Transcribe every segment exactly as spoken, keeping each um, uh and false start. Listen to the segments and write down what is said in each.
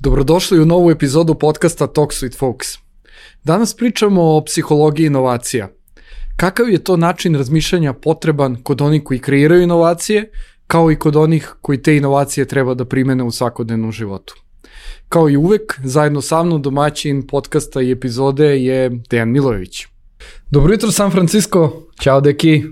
Dobrodošli u novu epizodu podcasta Talks with Folks. Danas pričamo o psihologiji inovacija. Kakav je to način razmišljanja potreban kod onih koji kreiraju inovacije, kao i kod onih koji te inovacije treba da primene u svakodnevnom životu. Kao i uvek, zajedno sa mnom domaćin podcasta i epizode je Dejan Milojević. Dobro jutro San Francisco, ćao deki.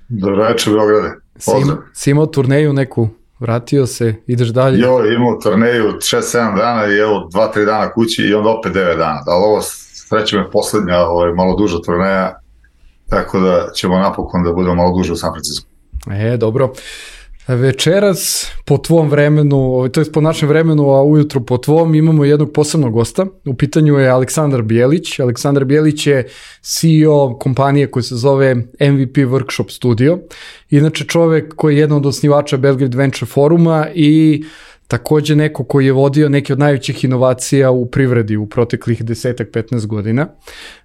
Dobro večer Beograde, pozdrav. Si, si imao turneju neku, vratio se, ideš dalje? Jo, imao turneju šest sedam dana i evo dva tri dana kući i onda opet devet dana. Ali ovo sreće me poslednja, ovo je malo duža turneja, tako da ćemo napokon da budemo malo duže u San Francisco. E, dobro. Večeras po tvom vremenu, to je po našem vremenu, a ujutro po tvom, imamo jednog posebnog gosta. U pitanju je Aleksandar Bijelić. Aleksandar Bijelić je C E O kompanije koja se zove M V P Workshop Studio. Inače čovek koji je jedan od osnivača Belgrade Venture Foruma i takođe neko koji je vodio neke od najvećih inovacija u privredi u proteklih deset do petnaest godina.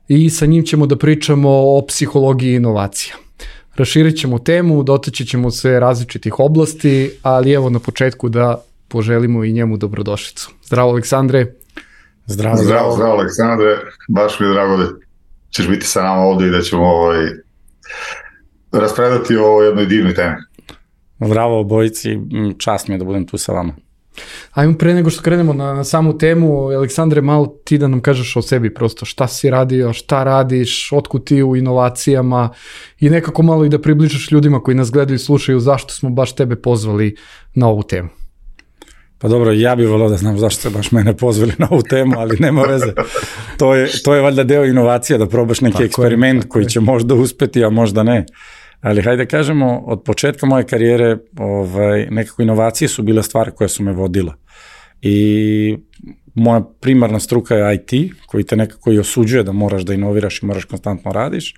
I sa njim ćemo da pričamo o psihologiji inovacija. Raširit ćemo temu, dotaći ćemo se različitih oblasti, ali evo na početku da poželimo i njemu dobrodošlicu. Zdravo Aleksandre. Zdravo, zdravo, zdravo, zdravo Aleksandre, baš mi je drago da ćeš biti sa nama ovde i da ćemo ovaj, raspredati o jednoj divnoj temi. Zdravo obojici, čast mi je da budem tu sa vama. Ajmo pre nego što krenemo na, na samu temu, Aleksandre, malo ti da nam kažeš o sebi prosto, šta si radio, šta radiš, otkud ti u inovacijama i nekako malo i da približaš ljudima koji nas gledaju i slušaju zašto smo baš tebe pozvali na ovu temu. Pa dobro, ja bih volao da znam zašto ste baš mene pozvali na ovu temu, ali nema veze. To je, to je valjda deo inovacija, da probaš neki tako eksperiment je, koji će možda uspeti, a možda ne. Ali hajde kažemo, od početka moje karijere ovaj, nekako inovacije su bile stvari koje su me vodila. I moja primarna struka je I T, koji te nekako i osuđuje da moraš da inoviraš i moraš konstantno radiš,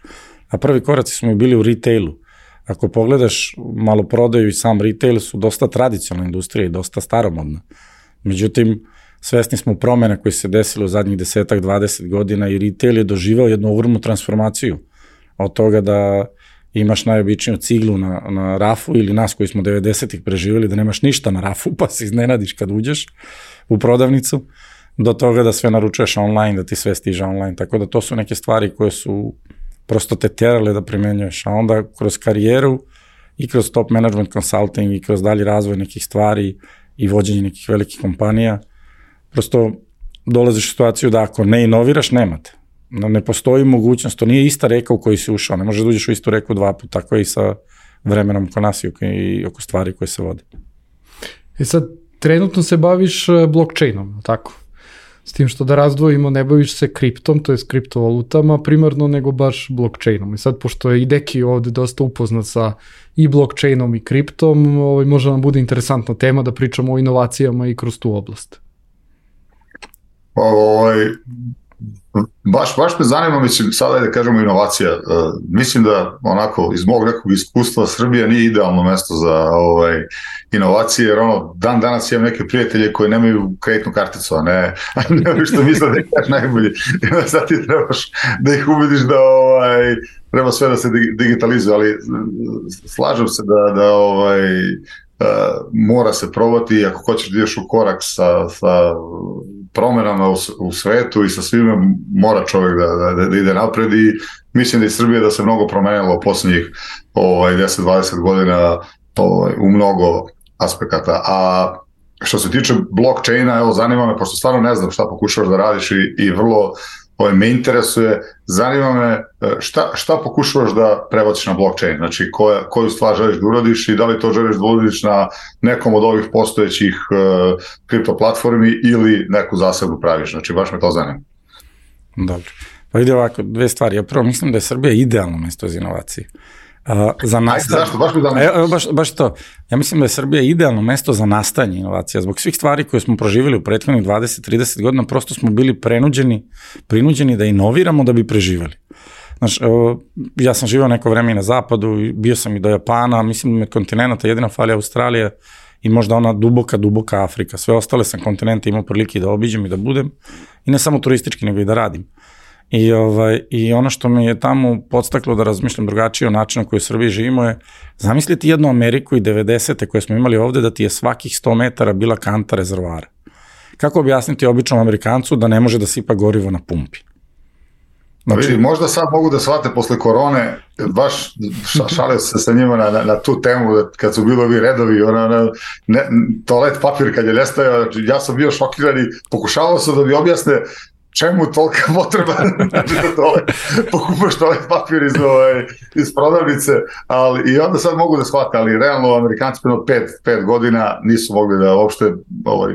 a prvi koraci su mi bili u retailu. Ako pogledaš malo prodaju i sam retail su dosta tradicionalna industrija i dosta staromodna. Međutim, svesni smo promjena koje se desile u zadnjih desetak, dvadeset godina i retail je doživao jednu ogromnu transformaciju od toga da imaš najobičniju ciglu na, na rafu ili nas koji smo devedesetih preživjeli da nemaš ništa na rafu pa se iznenadiš kad uđeš u prodavnicu, do toga da sve naručuješ online, da ti sve stiže online, tako da to su neke stvari koje su prosto te terale da primenjuješ, a onda kroz karijeru i kroz top management consulting i kroz dalji razvoj nekih stvari i vođenje nekih velikih kompanija, prosto dolaziš u situaciju da ako ne inoviraš, nemate. Ne postoji mogućnost, to nije ista reka u kojoj si ušao, ne možeš da uđeš u istu reku dva puta, tako i sa vremenom oko nas i oko stvari koje se vode. E sad, trenutno se baviš blockchainom, tako? S tim što da razdvojimo, ne baviš se kriptom, to je s kriptovalutama primarno, nego baš blockchainom. I sad, pošto je i Deki ovde dosta upoznat sa i blockchainom i kriptom, ovaj, možda nam bude interesantna tema da pričamo o inovacijama i kroz tu oblast. Ovaj... Baš, baš me zanima, mislim, sada je da kažemo inovacija. Uh, mislim da onako iz mog nekog iskustva Srbija nije idealno mesto za ovaj, inovacije, jer ono, dan danas imam neke prijatelje koji nemaju kreditnu karticu, a ne, ne što misle da je kaš najbolji. I onda sad ti trebaš da ih ubediš da ovaj, treba sve da se digitalizuje, ali slažem se da, da ovaj, uh, mora se probati, ako hoćeš da ideš u korak sa, sa promenama u, u svetu i sa svime mora čovjek da, da, da ide napred i mislim da je Srbija da se mnogo promenilo u posljednjih ovaj, deset dvadeset godina ovaj, u mnogo aspekata. A što se tiče blockchaina, evo zanima me, pošto stvarno ne znam šta pokušavaš da radiš i, i vrlo ovaj, me interesuje, zanima me šta, šta pokušavaš da prebaciš na blockchain, znači koja, koju stvar želiš da uradiš i da li to želiš da uradiš na nekom od ovih postojećih uh, kripto platformi ili neku zasebnu praviš, znači baš me to zanima. Dobro, pa ide ovako, dve stvari, ja prvo mislim da je Srbija idealno mesto za inovacije. Uh, za nastaj... Zašto? Baš, e, baš, baš to. Ja mislim da je Srbija idealno mesto za nastajanje inovacija. Zbog svih stvari koje smo proživjeli u prethodnih dvadeset do trideset godina, prosto smo bili prenuđeni, prinuđeni da inoviramo da bi preživjeli. Znaš, ja sam živao neko vreme i na zapadu, bio sam i do Japana, mislim da me kontinenta jedina fali Australija i možda ona duboka, duboka Afrika. Sve ostale sam kontinente imao prilike da obiđem i da budem, i ne samo turistički, nego i da radim. I, ovaj, I ono što me je tamo podstaklo da razmišljam drugačije o načinu koji u Srbiji živimo je, zamisliti jednu Ameriku i devedesete koje smo imali ovde, da ti je svakih sto metara bila kanta rezervoara. kako objasniti običnom Amerikancu da ne može da sipa gorivo na pumpi? Znači, vidi, možda sad mogu da shvate posle korone, baš šalio se sa njima na, na, na tu temu, da kad su bili ovi redovi, ona, ona, ne, toalet papir kad je nestajao, ja sam bio šokiran i pokušavao sam da mi objasne čemu tolika potreba da toalet, pokupaš toalet papir iz, ovaj, iz prodavnice, ali i onda sad mogu da shvate, ali realno Amerikanci prema pet, pet godina nisu mogli da uopšte ovaj,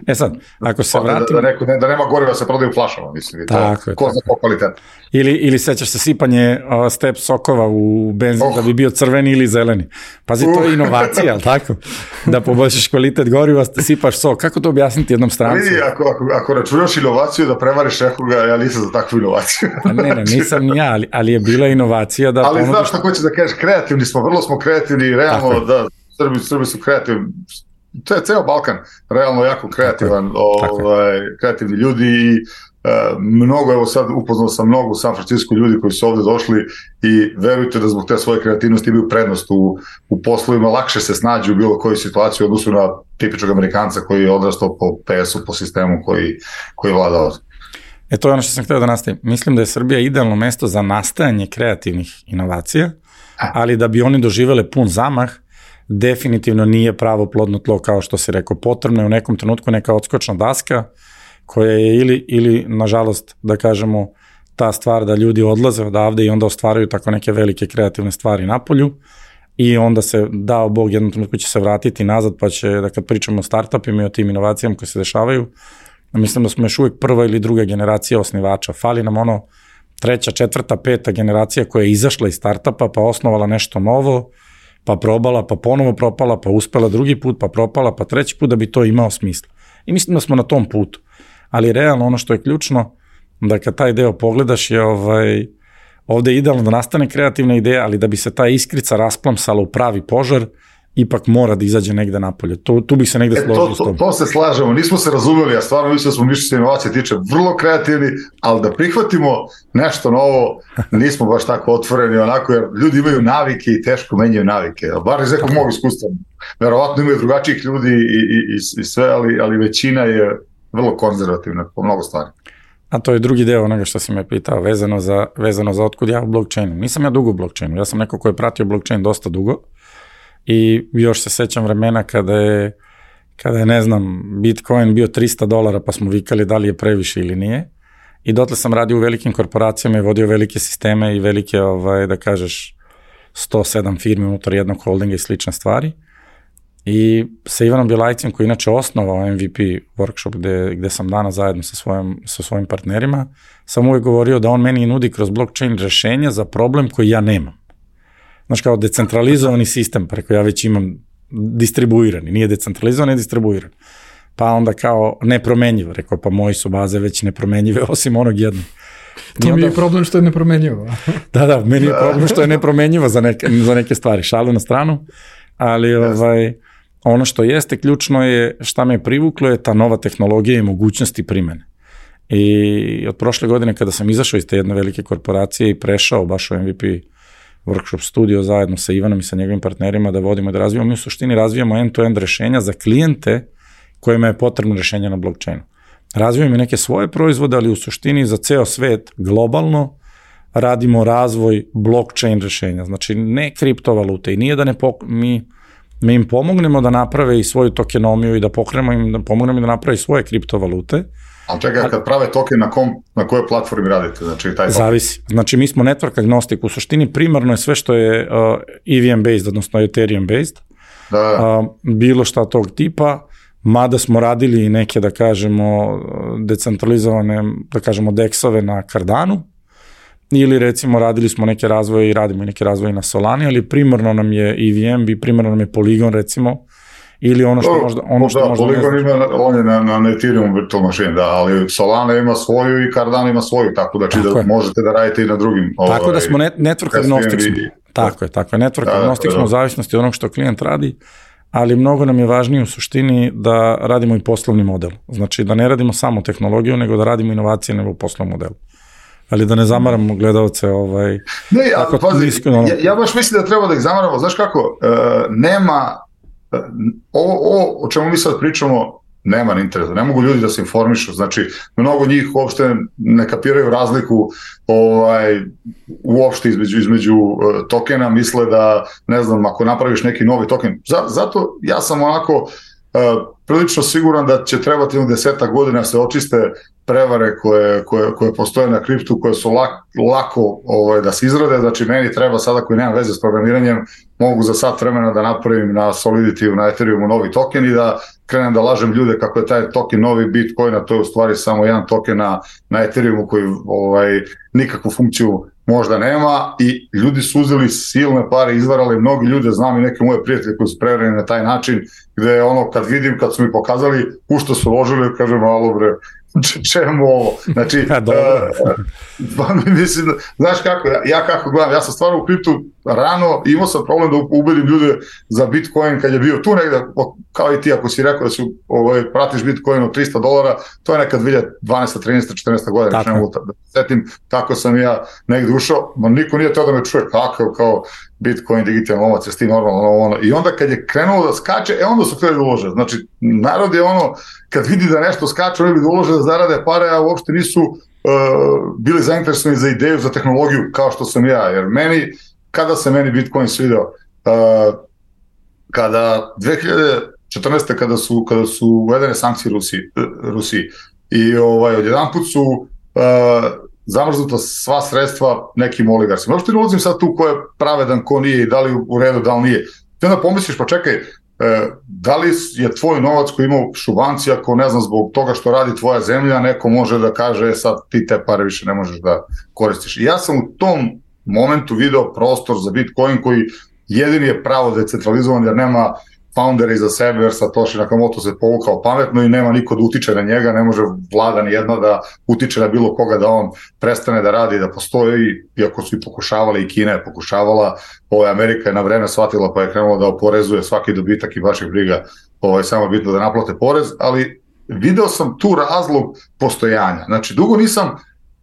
E sad, ako se vratimo... Da, da, neko, da nema goriva se prodaju flašama, mislim. Tako je. Ko za ko kvalitet. Ili, ili sećaš se sipanje uh, step sokova u benzin oh. da bi bio crveni ili zeleni. Pazi, uh. to je inovacija, ali tako? Da poboljšaš kvalitet goriva, sipaš sok. Kako to objasniti jednom strancu? Vidi, ako, ako, ako računaš inovaciju da prevariš nekoga, ja nisam za takvu inovaciju. ne, ne, nisam ni ja, ali, ali je bila inovacija da... Ali ponudiš... znaš što hoćeš da kažeš, kreativni smo, vrlo smo kreativni i realno da Srbi, Srbi su kreativni. To je ceo Balkan, realno jako kreativan, ovaj, kreativni ljudi i uh, mnogo, evo sad upoznao sam mnogo u San Francisco ljudi koji su ovde došli i verujte da zbog te svoje kreativnosti imaju prednost u, u poslovima, lakše se snađu u bilo kojoj situaciji u odnosu na tipičnog Amerikanca koji je odrastao po P S-u, po sistemu koji, koji vlada ovde. E to je ono što sam htio da nastavim. Mislim da je Srbija idealno mesto za nastajanje kreativnih inovacija, ali da bi oni doživele pun zamah, definitivno nije pravo plodno tlo, kao što si rekao. Potrebno je u nekom trenutku neka odskočna daska koja je ili, ili nažalost, da kažemo, ta stvar da ljudi odlaze odavde i onda ostvaraju tako neke velike kreativne stvari napolju i onda se, dao Bog, jednom trenutku će se vratiti nazad, pa će, da kad pričamo o startupima i o tim inovacijama koje se dešavaju, mislim da smo još uvijek prva ili druga generacija osnivača. Fali nam ono treća, četvrta, peta generacija koja je izašla iz startupa, pa osnovala nešto novo, pa probala, pa ponovo propala, pa uspela drugi put, pa propala, pa treći put da bi to imao smisla. I mislim da smo na tom putu. Ali realno ono što je ključno, da kad taj deo pogledaš je ovaj, ovde je idealno da nastane kreativna ideja, ali da bi se ta iskrica rasplamsala u pravi požar, ipak mora da izađe negde napolje. To, tu bi se negde složio e, to, s tom. To, to se slažemo, nismo se razumeli, a stvarno mislim da smo mi što se inovacije tiče vrlo kreativni, ali da prihvatimo nešto novo, nismo baš tako otvoreni, onako, jer ljudi imaju navike i teško menjaju navike. Bar iz nekog mog iskustva. Verovatno imaju drugačijih ljudi i, i, i, i sve, ali, ali većina je vrlo konzervativna po mnogo stvari. A to je drugi deo onoga što si me pitao, vezano za, vezano za otkud ja u blockchainu. Nisam ja dugo u blockchainu, ja sam neko ko je pratio blockchain dosta dugo, i još se sećam vremena kada je, kada je, ne znam, Bitcoin bio trista dolara, pa smo vikali da li je previše ili nije. I dotle sam radio u velikim korporacijama i vodio velike sisteme i velike, ovaj, da kažeš, sto sedam firmi unutar jednog holdinga i slične stvari. I sa Ivanom Bjelajcem, koji inače osnovao M V P workshop gde, gde sam danas zajedno sa svojim, sa svojim partnerima, sam uvijek govorio da on meni nudi kroz blockchain rešenja za problem koji ja nemam. Znaš, kao decentralizovani sistem, preko ja već imam distribuirani, nije decentralizovan, je distribuiran. Pa onda kao nepromenjivo, rekao, pa moji su baze već nepromenjive, osim onog jednog. To onda... mi je problem što je nepromenjivo. da, da, meni je problem što je nepromenjivo za neke, za neke stvari, šalu na stranu, ali ovaj, ono što jeste ključno je, šta me privuklo je ta nova tehnologija i mogućnosti primene. I od prošle godine kada sam izašao iz te jedne velike korporacije i prešao baš u M V P workshop studio zajedno sa Ivanom i sa njegovim partnerima da vodimo i da razvijamo. Mi u suštini razvijamo end-to-end rešenja za klijente kojima je potrebno rešenje na blockchainu. Razvijamo i neke svoje proizvode, ali u suštini za ceo svet globalno radimo razvoj blockchain rešenja. Znači ne kriptovalute i nije da ne pok... mi, mi im pomognemo da naprave i svoju tokenomiju i da pokrenemo im, da pomognemo im da naprave svoje kriptovalute. Ali čekaj, kad prave token, na, kom, na kojoj platformi radite? Znači, taj zavisi. Znači, mi smo network agnostik. U suštini primarno je sve što je uh, E V M-based, odnosno Ethereum-based. Da. Uh, bilo šta tog tipa, mada smo radili neke, da kažemo, decentralizovane, da kažemo, deksove na Cardanu, ili recimo radili smo neke razvoje i radimo neke razvoje na Solani, ali primarno nam je E V M, i primarno nam je Polygon, recimo, ili ono što možda... Ono što da, možda Polygon ima, on je na, na Ethereum virtual machine, da, ali Solana ima svoju i Cardano ima svoju, tako da, tako da možete da radite i na drugim... Tako ovaj, da smo net, network agnostic smo. Tako je, tako je, network da, agnostic smo u zavisnosti od onog što klijent radi, ali mnogo nam je važnije u suštini da radimo i poslovni model. Znači da ne radimo samo tehnologiju, nego da radimo inovacije nego u poslovnom modelu. Ali da ne zamaramo gledalce ovaj... Ne, ali pazi, nisko, no... ja, ja baš mislim da treba da ih zamaramo, znaš kako, uh, nema... Ovo, ovo o čemu mi sad pričamo nema interesa, ne mogu ljudi da se informišu, znači mnogo njih uopšte ne kapiraju razliku ovaj, uopšte između, između uh, tokena, misle da, ne znam, ako napraviš neki novi token, zato ja sam onako uh, prilično siguran da će trebati jedno desetak godina da se očiste prevare koje, koje, koje postoje na kriptu, koje su lak, lako ovaj, da se izrade, znači meni treba sada koji nemam veze s programiranjem, mogu za sat vremena da napravim na Solidity, na Ethereumu novi token i da krenem da lažem ljude kako je taj token novi Bitcoin, a to je u stvari samo jedan token na, na Ethereumu koji ovaj, nikakvu funkciju možda nema i ljudi su uzeli silne pare, izvarali mnogi ljude, znam i neke moje prijatelje koji su prevareni na taj način, gde ono kad vidim, kad su mi pokazali u što su ložili, kažem, alo bre, čemu ovo? Znači, uh, mislim, znaš kako, ja kako gledam, ja sam stvarno u kriptu rano, imao sam problem da ubedim ljude za Bitcoin kad je bio tu negde, kao i ti ako si rekao da si ovaj, pratiš Bitcoin od trista dolara, to je nekad dve hiljade dvanaeste, trinaeste, četrnaeste godina, ne mogu da setim kako sam ja negde ušao, ma niko nije teo da me čuje kakav kao Bitcoin, digitalni novac, jesi ti normalno ono. I onda kad je krenulo da skače, e onda su htjeli da ulože. Znači, narod je ono, kad vidi da nešto skače, oni bi da ulože da zarade pare, a uopšte nisu uh, bili zainteresovani za ideju, za tehnologiju, kao što sam ja. Jer meni, kada se meni Bitcoin svideo, uh, kada dve hiljade četrnaeste. kada su, kada su uvedene sankcije Rusiji, Rusiji i ovaj, odjedanput su uh, zamrznuta sva sredstva nekim oligarsima. Uopšte ne ulazim sad tu ko je pravedan, ko nije i da li u redu, da li nije. Ti onda pomisliš, pa čekaj, da li je tvoj novac koji ima u šubanci, ako ne znam, zbog toga što radi tvoja zemlja, neko može da kaže, sad ti te pare više ne možeš da koristiš. I ja sam u tom momentu video prostor za Bitcoin koji jedini je pravo decentralizovan jer nema founder iza sebe, jer Satoshi Nakamoto se povukao pametno i nema niko da utiče na njega, ne može vlada ni jedna da utiče na bilo koga da on prestane da radi, da postoji, iako su i pokušavali, i Kina je pokušavala, ovaj, Amerika je na vreme shvatila pa je krenula da oporezuje svaki dobitak i baš je briga, ovaj, samo bitno da naplate porez, ali video sam tu razlog postojanja. Znači, dugo nisam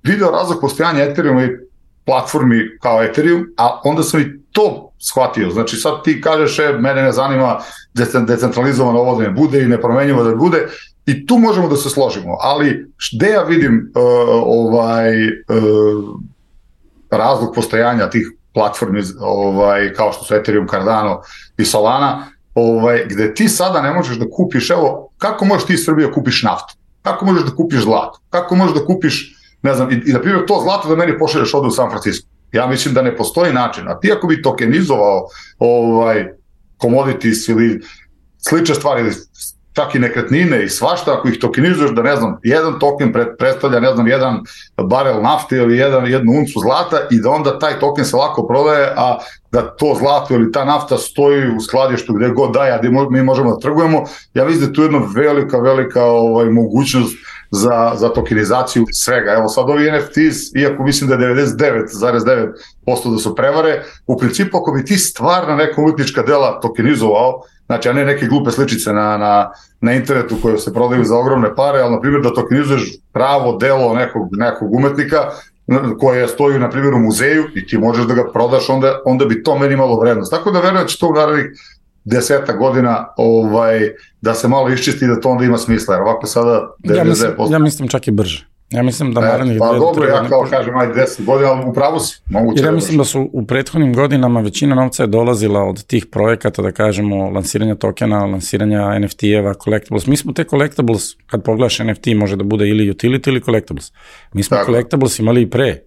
video razlog postojanja Ethereuma i platformi kao Ethereum, a onda sam i to shvatio. Znači sad ti kažeš, e, mene ne zanima decentralizovano ovo da ne bude i nepromenjivo da ne bude i tu možemo da se složimo, ali gde ja vidim uh, ovaj uh, razlog postojanja tih platformi ovaj, kao što su Ethereum, Cardano i Solana, ovaj, gde ti sada ne možeš da kupiš, evo, kako možeš ti iz Srbije kupiš naftu? Kako možeš da kupiš zlato? Kako možeš da kupiš, ne znam, i, i na primjer to zlato da meni pošalješ ovde u San Francisco? Ja mislim da ne postoji način, a ti ako bi tokenizovao ovaj, commodities ili slične stvari, ili čak i nekretnine i svašta, ako ih tokenizuješ da ne znam, jedan token predstavlja ne znam, jedan barel nafte ili jedan, jednu uncu zlata i da onda taj token se lako prodaje, a da to zlato ili ta nafta stoji u skladištu gde god daje, a gde mi možemo da trgujemo, ja mislim da je tu jedna velika, velika ovaj, mogućnost za, za tokenizaciju svega. Evo sad ovi N F Ts, iako mislim da je devedeset devet zarez devet posto da su prevare, u principu ako bi ti stvarno neka umetnička dela tokenizovao, znači a ne neke glupe sličice na, na, na internetu koje se prodaju za ogromne pare, ali na primjer da tokenizuješ pravo delo nekog, nekog umetnika koje stoji na primjer u muzeju i ti možeš da ga prodaš, onda, onda bi to meni imalo vrednost. Tako da verujem da će to u narednih deseta godina ovaj, da se malo iščisti i da to onda ima smisla, jer ovako sada devedeset devet posto. Ja mislim, ja mislim čak i brže. Ja mislim da narednih... E, pa dobro, ja kao kažem, ajde deset godina, ali upravo si. Jer ja mislim da su u prethodnim godinama većina novca je dolazila od tih projekata, da kažemo, lansiranja tokena, lansiranja N F T-eva, collectibles. Mi smo te collectibles, kad pogledaš N F T, može da bude ili utility ili collectibles. Mi smo tako. Collectibles imali i pre.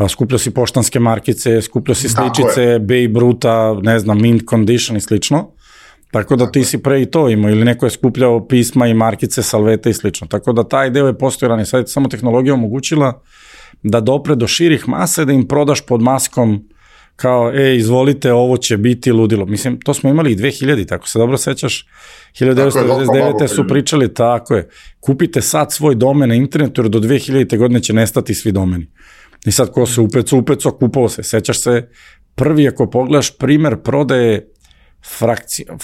Skupljao si poštanske markice, skupljao si sličice, Babe Ruta, ne znam, mint condition i slično. Tako da ti si pre i to imao, ili neko je skupljao pisma i markice, salvete i slično. Tako da taj deo je postojao, sad je samo tehnologija omogućila da dopre do širih mase, da im prodaš pod maskom kao, e, izvolite, ovo će biti ludilo. Mislim, to smo imali i dve hiljade, tako se dobro sećaš, hiljadu devetsto devedeset devete su pričali, tako je, kupite sad svoj domen na internetu, jer do dve hiljadite godine će nestati svi domeni. I sad ko se upeco, upeco, kupao se. Sećaš se, prvi ako pogledaš primer prodaje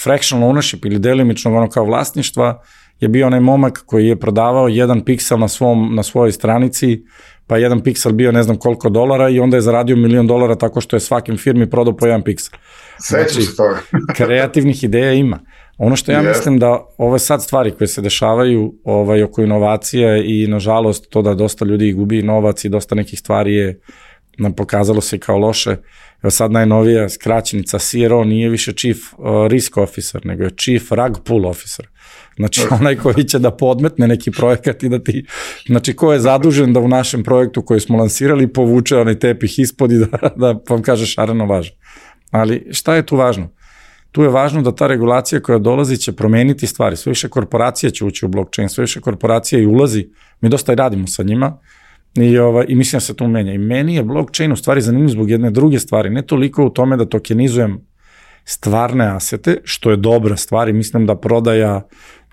fractional ownership ili delimičnog ono kao vlasništva je bio onaj momak koji je prodavao jedan piksel na, svom, na svojoj stranici, pa jedan piksel bio ne znam koliko dolara i onda je zaradio milion dolara tako što je svakim firmi prodao po jedan piksel. Sećam se toga. Kreativnih ideja ima. Ono što ja yes. mislim da ove sad stvari koje se dešavaju ovaj, oko inovacija i nažalost to da dosta ljudi gubi novac i dosta nekih stvari je nam pokazalo se kao loše. Evo sad najnovija skraćenica C R O nije više Chief uh, Risk Officer, nego je Chief Rug Pull Officer. Znači onaj koji će da podmetne neki projekat i da ti, znači ko je zadužen da u našem projektu koji smo lansirali povuče onaj tepih ispod i da, da vam kaže šareno važno. Ali šta je tu važno? Tu je važno da ta regulacija koja dolazi će promeniti stvari. Sve više korporacija će ući u blockchain, sve više korporacija i ulazi. Mi dosta i radimo sa njima i, ovaj, i mislim da se to menja. I meni je blockchain u stvari zanimljiv zbog jedne druge stvari. Ne toliko u tome da tokenizujem stvarne asete, što je dobra stvar i mislim da prodaja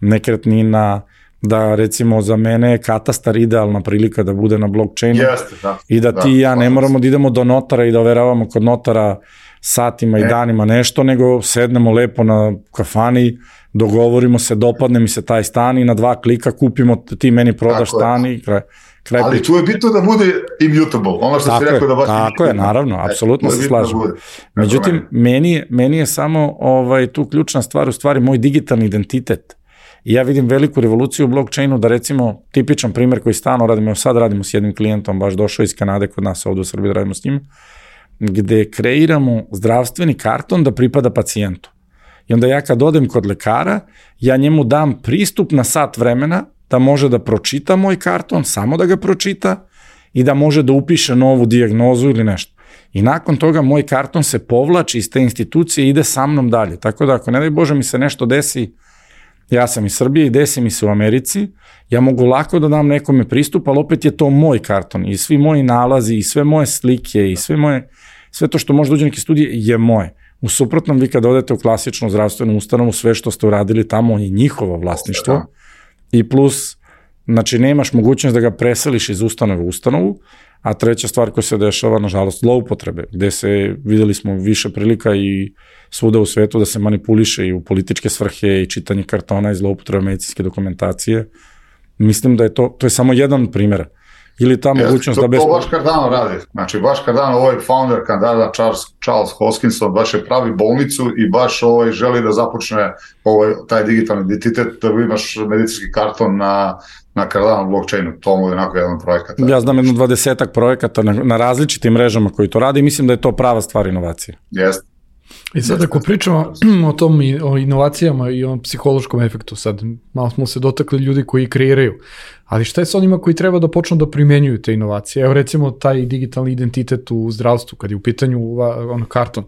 nekretnina, da recimo za mene je katastar idealna prilika da bude na blockchainu. Jeste, da. I da ti i ja ne moramo da idemo do notara i da overavamo kod notara satima i danima nešto, nego sednemo lepo na kafani, dogovorimo se, dopadne mi se taj stan i na dva klika kupimo, ti meni prodaš stan i kraj, kraj ali tu je bitno da bude immutable, ono što si rekao da baš... Tako je, naravno, apsolutno se slažem. Međutim, meni, meni je samo ovaj, tu ključna stvar, u stvari moj digitalni identitet. I ja vidim veliku revoluciju u blockchainu, da recimo, tipičan primjer koji stalno radimo, sad radimo s jednim klijentom, baš došao iz Kanade kod nas ovdje u Srbiji da radimo s njim, gde kreiramo zdravstveni karton da pripada pacijentu. I onda ja kad odem kod lekara, ja njemu dam pristup na sat vremena da može da pročita moj karton, samo da ga pročita i da može da upiše novu dijagnozu ili nešto. I nakon toga moj karton se povlači iz te institucije i ide sa mnom dalje. Tako da ako ne daj Bože mi se nešto desi, ja sam iz Srbije i desi mi se u Americi, ja mogu lako da dam nekome pristup, ali opet je to moj karton i svi moji nalazi i sve moje slike i sve moje, sve to što može da uđe neke studije je moje. U suprotnom, vi kad odete u klasičnu zdravstvenu ustanovu, sve što ste uradili tamo je njihovo vlasništvo i plus, znači nemaš mogućnost da ga preseliš iz ustanove u ustanovu, a treća stvar koja se dešava, nažalost, zloupotrebe, gde se, videli smo više prilika i svuda u svetu da se manipuliše i u političke svrhe i čitanje kartona i zloupotrebe medicinske dokumentacije. Mislim da je to, to je samo jedan primjer. Ili ta mogućnost da bez... To baš Cardano radi. Znači, baš Cardano, ovaj founder Cardano, Charles, Charles Hoskinson, baš je pravi bolnicu i baš ovaj, želi da započne ovaj, taj digitalni identitet, da imaš medicinski karton na, na Cardano blockchainu. To mu je onako jedan projekat. Ja znam jedno dvadesetak projekata na, na različitim mrežama koji to radi i mislim da je to prava stvar inovacije. Jeste. I sad ako pričamo o tom, o inovacijama i o psihološkom efektu, sad malo smo se dotakli ljudi koji kreiraju, ali šta je sa onima koji treba da počnu da primenjuju te inovacije? Evo recimo taj digitalni identitet u zdravstvu, kad je u pitanju ono, karton.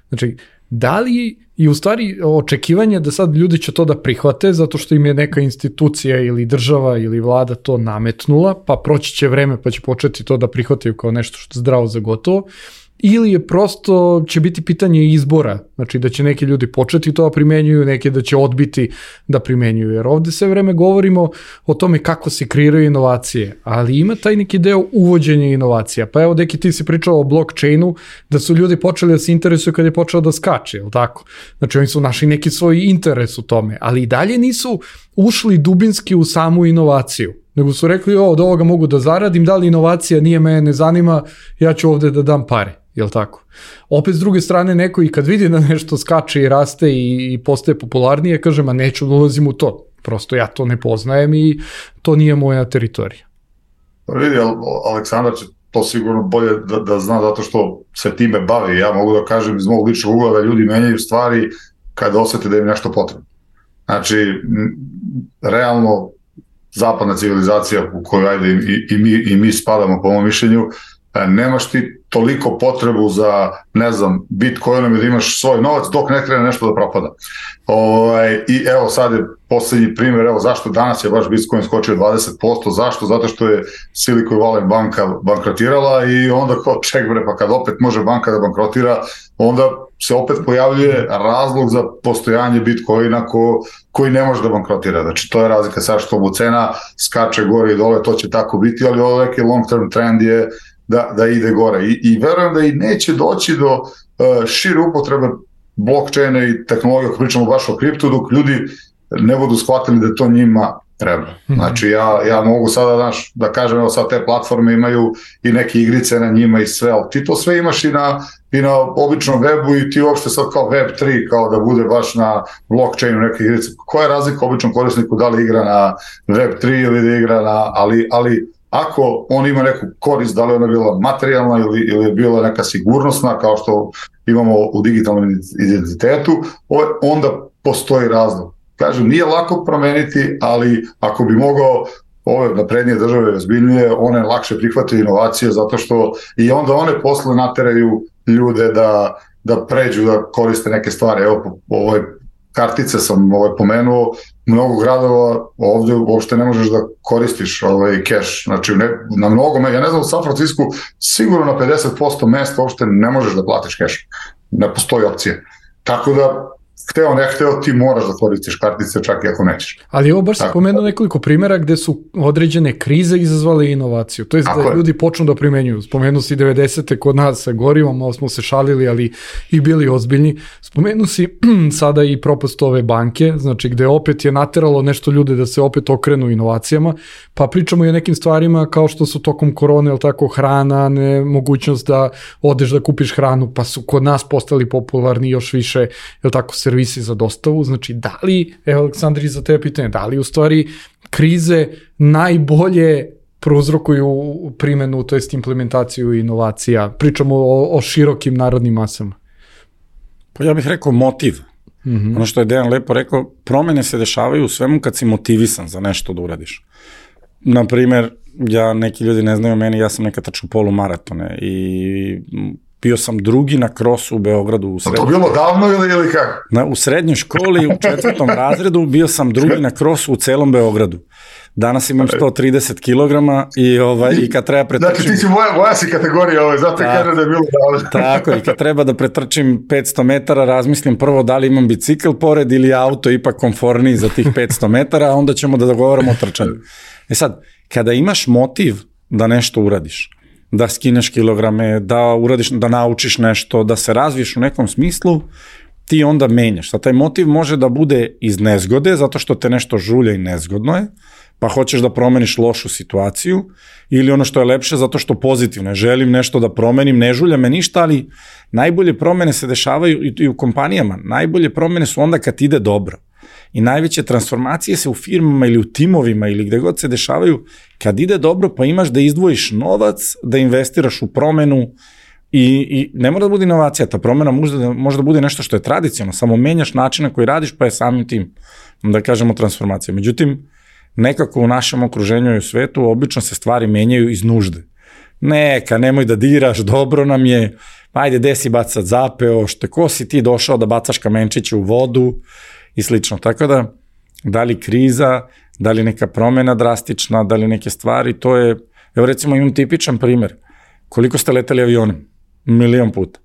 Znači, da li i u stvari očekivanje da sad ljudi će to da prihvate zato što im je neka institucija ili država ili vlada to nametnula, pa proći će vreme pa će početi to da prihvataju kao nešto što je zdravo za gotovo, ili je prosto će biti pitanje izbora, znači da će neki ljudi početi to da primenjuju, neki da će odbiti da primenjuju, jer ovde sve vreme govorimo o tome kako se kreiraju inovacije, ali ima taj neki deo uvođenja inovacija, pa evo Deki ti si pričao o blockchainu, da su ljudi počeli da se interesuju kad je počeo da skače, je li tako? Znači oni su našli neki svoj interes u tome, ali i dalje nisu ušli dubinski u samu inovaciju, nego su rekli, o, od ovoga mogu da zaradim, da li inovacija nije mene ne zanima, ja ću ovde da dam pare. Jel tako? Opet s druge strane neko i kad vidi da nešto skače i raste i, i postaje popularnije, kaže, ma neću da ulazim u to. Prosto ja to ne poznajem i to nije moja teritorija. Pa vidi, Aleksandar će to sigurno bolje da, da zna zato što se time bavi. Ja mogu da kažem iz mog ličnog ugla da ljudi menjaju stvari kada osete da im nešto potrebno. Znači, realno zapadna civilizacija u kojoj ajde i, i, mi, i mi spadamo po mom mišljenju, nemaš ti toliko potrebu za, ne znam, Bitcoinom i da imaš svoj novac dok ne krene nešto da propada. Ovaj, I evo sad je posljednji primjer, evo zašto danas je baš Bitcoin skočio dvadeset posto, zašto? Zato što je Silicon Valley banka bankrotirala i onda kao ček bre, pa kad opet može banka da bankrotira, onda se opet pojavljuje razlog za postojanje Bitcoina ko, koji ne može da bankrotira. Znači to je razlika sad što mu cena skače gore i dole, to će tako biti, ali ovo neki long term trend je da, da ide gore. I, i verujem da i neće doći do uh, šire upotrebe blockchaina i tehnologije, ako pričamo baš o kriptu, dok ljudi ne budu shvatili da to njima treba. Znači ja, ja mogu sada, znaš, da kažem, evo sad te platforme imaju i neke igrice na njima i sve, ali ti to sve imaš i na, i na običnom webu i ti uopšte sad kao web tri, kao da bude baš na blockchainu neke igrice. Koja je razlika običnom korisniku da li igra na web tri ili da igra na, ali, ali ako on ima neku korist, da li ona bila materijalna ili, ili je bila neka sigurnosna, kao što imamo u digitalnom identitetu, onda postoji razlog. Kažem, nije lako promeniti, ali ako bi mogao ove naprednije države ozbiljnije, one lakše prihvataju inovacije zato što i onda one posle nateraju ljude da, da pređu, da koriste neke stvari. Evo, ovoj kartice sam ovaj, pomenuo, mnogo gradova ovde uopšte ne možeš da koristiš ovaj keš, znači ne, na mnogo, ja ne znam, u San Francisku sigurno na pedeset posto mesta uopšte ne možeš da platiš keš, ne postoji opcije. Tako da hteo, ne hteo, ti moraš da koristiš kartice čak i ako nećeš. Ali ovo baš se pomenuo nekoliko primjera gde su određene krize izazvale inovaciju. To je da je. Ljudi počnu da primenjuju. Spomenuo si devedesete kod nas sa gorivom, malo smo se šalili, ali i bili ozbiljni. Spomenuo si sada i propast ove banke, znači gde opet je nateralo nešto ljude da se opet okrenu inovacijama, pa pričamo i o nekim stvarima kao što su tokom korone, ili tako, hrana, nemogućnost da odeš da kupiš hranu, pa su kod nas postali popularni još više, ili tako, servisi za dostavu. Znači, da li, evo Aleksandri, za tebe pitanje, da li u stvari krize najbolje prouzrokuju primenu, to jest implementaciju inovacija? Pričamo o, o širokim narodnim masama. Pa ja bih rekao motiv. Mm-hmm. Ono što je Dejan lepo rekao, promene se dešavaju u svemu kad si motivisan za nešto da uradiš. Naprimer, ja, neki ljudi ne znaju meni, ja sam nekad trčao polumaratone i bio sam drugi na krosu u Beogradu. U srednjoj... To bilo davno ili, ili kako? Na, u srednjoj školi, u četvrtom razredu, bio sam drugi na krosu u celom Beogradu. Danas imam sto trideset kilograma i, ovaj, i kad treba pretrčim... Znači ti si moja, moja si kategorija, ovaj, zato kažem da je bilo davno. Tako, i kad treba da pretrčim petsto metara, razmislim prvo da li imam bicikl pored ili auto ipak komforniji za tih petsto metara, a onda ćemo da dogovaramo o trčanju. E sad, kada imaš motiv da nešto uradiš, da skineš kilograme, da uradiš, da naučiš nešto, da se razviješ u nekom smislu, ti onda menjaš. Sad, taj motiv može da bude iz nezgode, zato što te nešto žulja i nezgodno je, pa hoćeš da promeniš lošu situaciju, ili ono što je lepše, zato što pozitivno je, želim nešto da promenim, ne žulja me ništa, ali najbolje promene se dešavaju i u kompanijama. Najbolje promene su onda kad ide dobro. I najveće transformacije se u firmama ili u timovima ili gde god se dešavaju kad ide dobro, pa imaš da izdvojiš novac, da investiraš u promenu i, i ne mora da bude inovacija, ta promena može da, može da bude nešto što je tradicionalno, samo menjaš način na koji radiš, pa je samim tim, da kažemo, transformacija. Međutim, nekako u našem okruženju i u svetu obično se stvari menjaju iz nužde. Neka, nemoj da diraš, dobro nam je, ajde, gde si bacat zapeo, što ko si ti došao da bacaš kamenčiće u vodu i slično. Tako da, da li kriza, da li neka promena drastična, da li neke stvari, to je, evo recimo imam tipičan primer, koliko ste leteli avionom? Milion puta.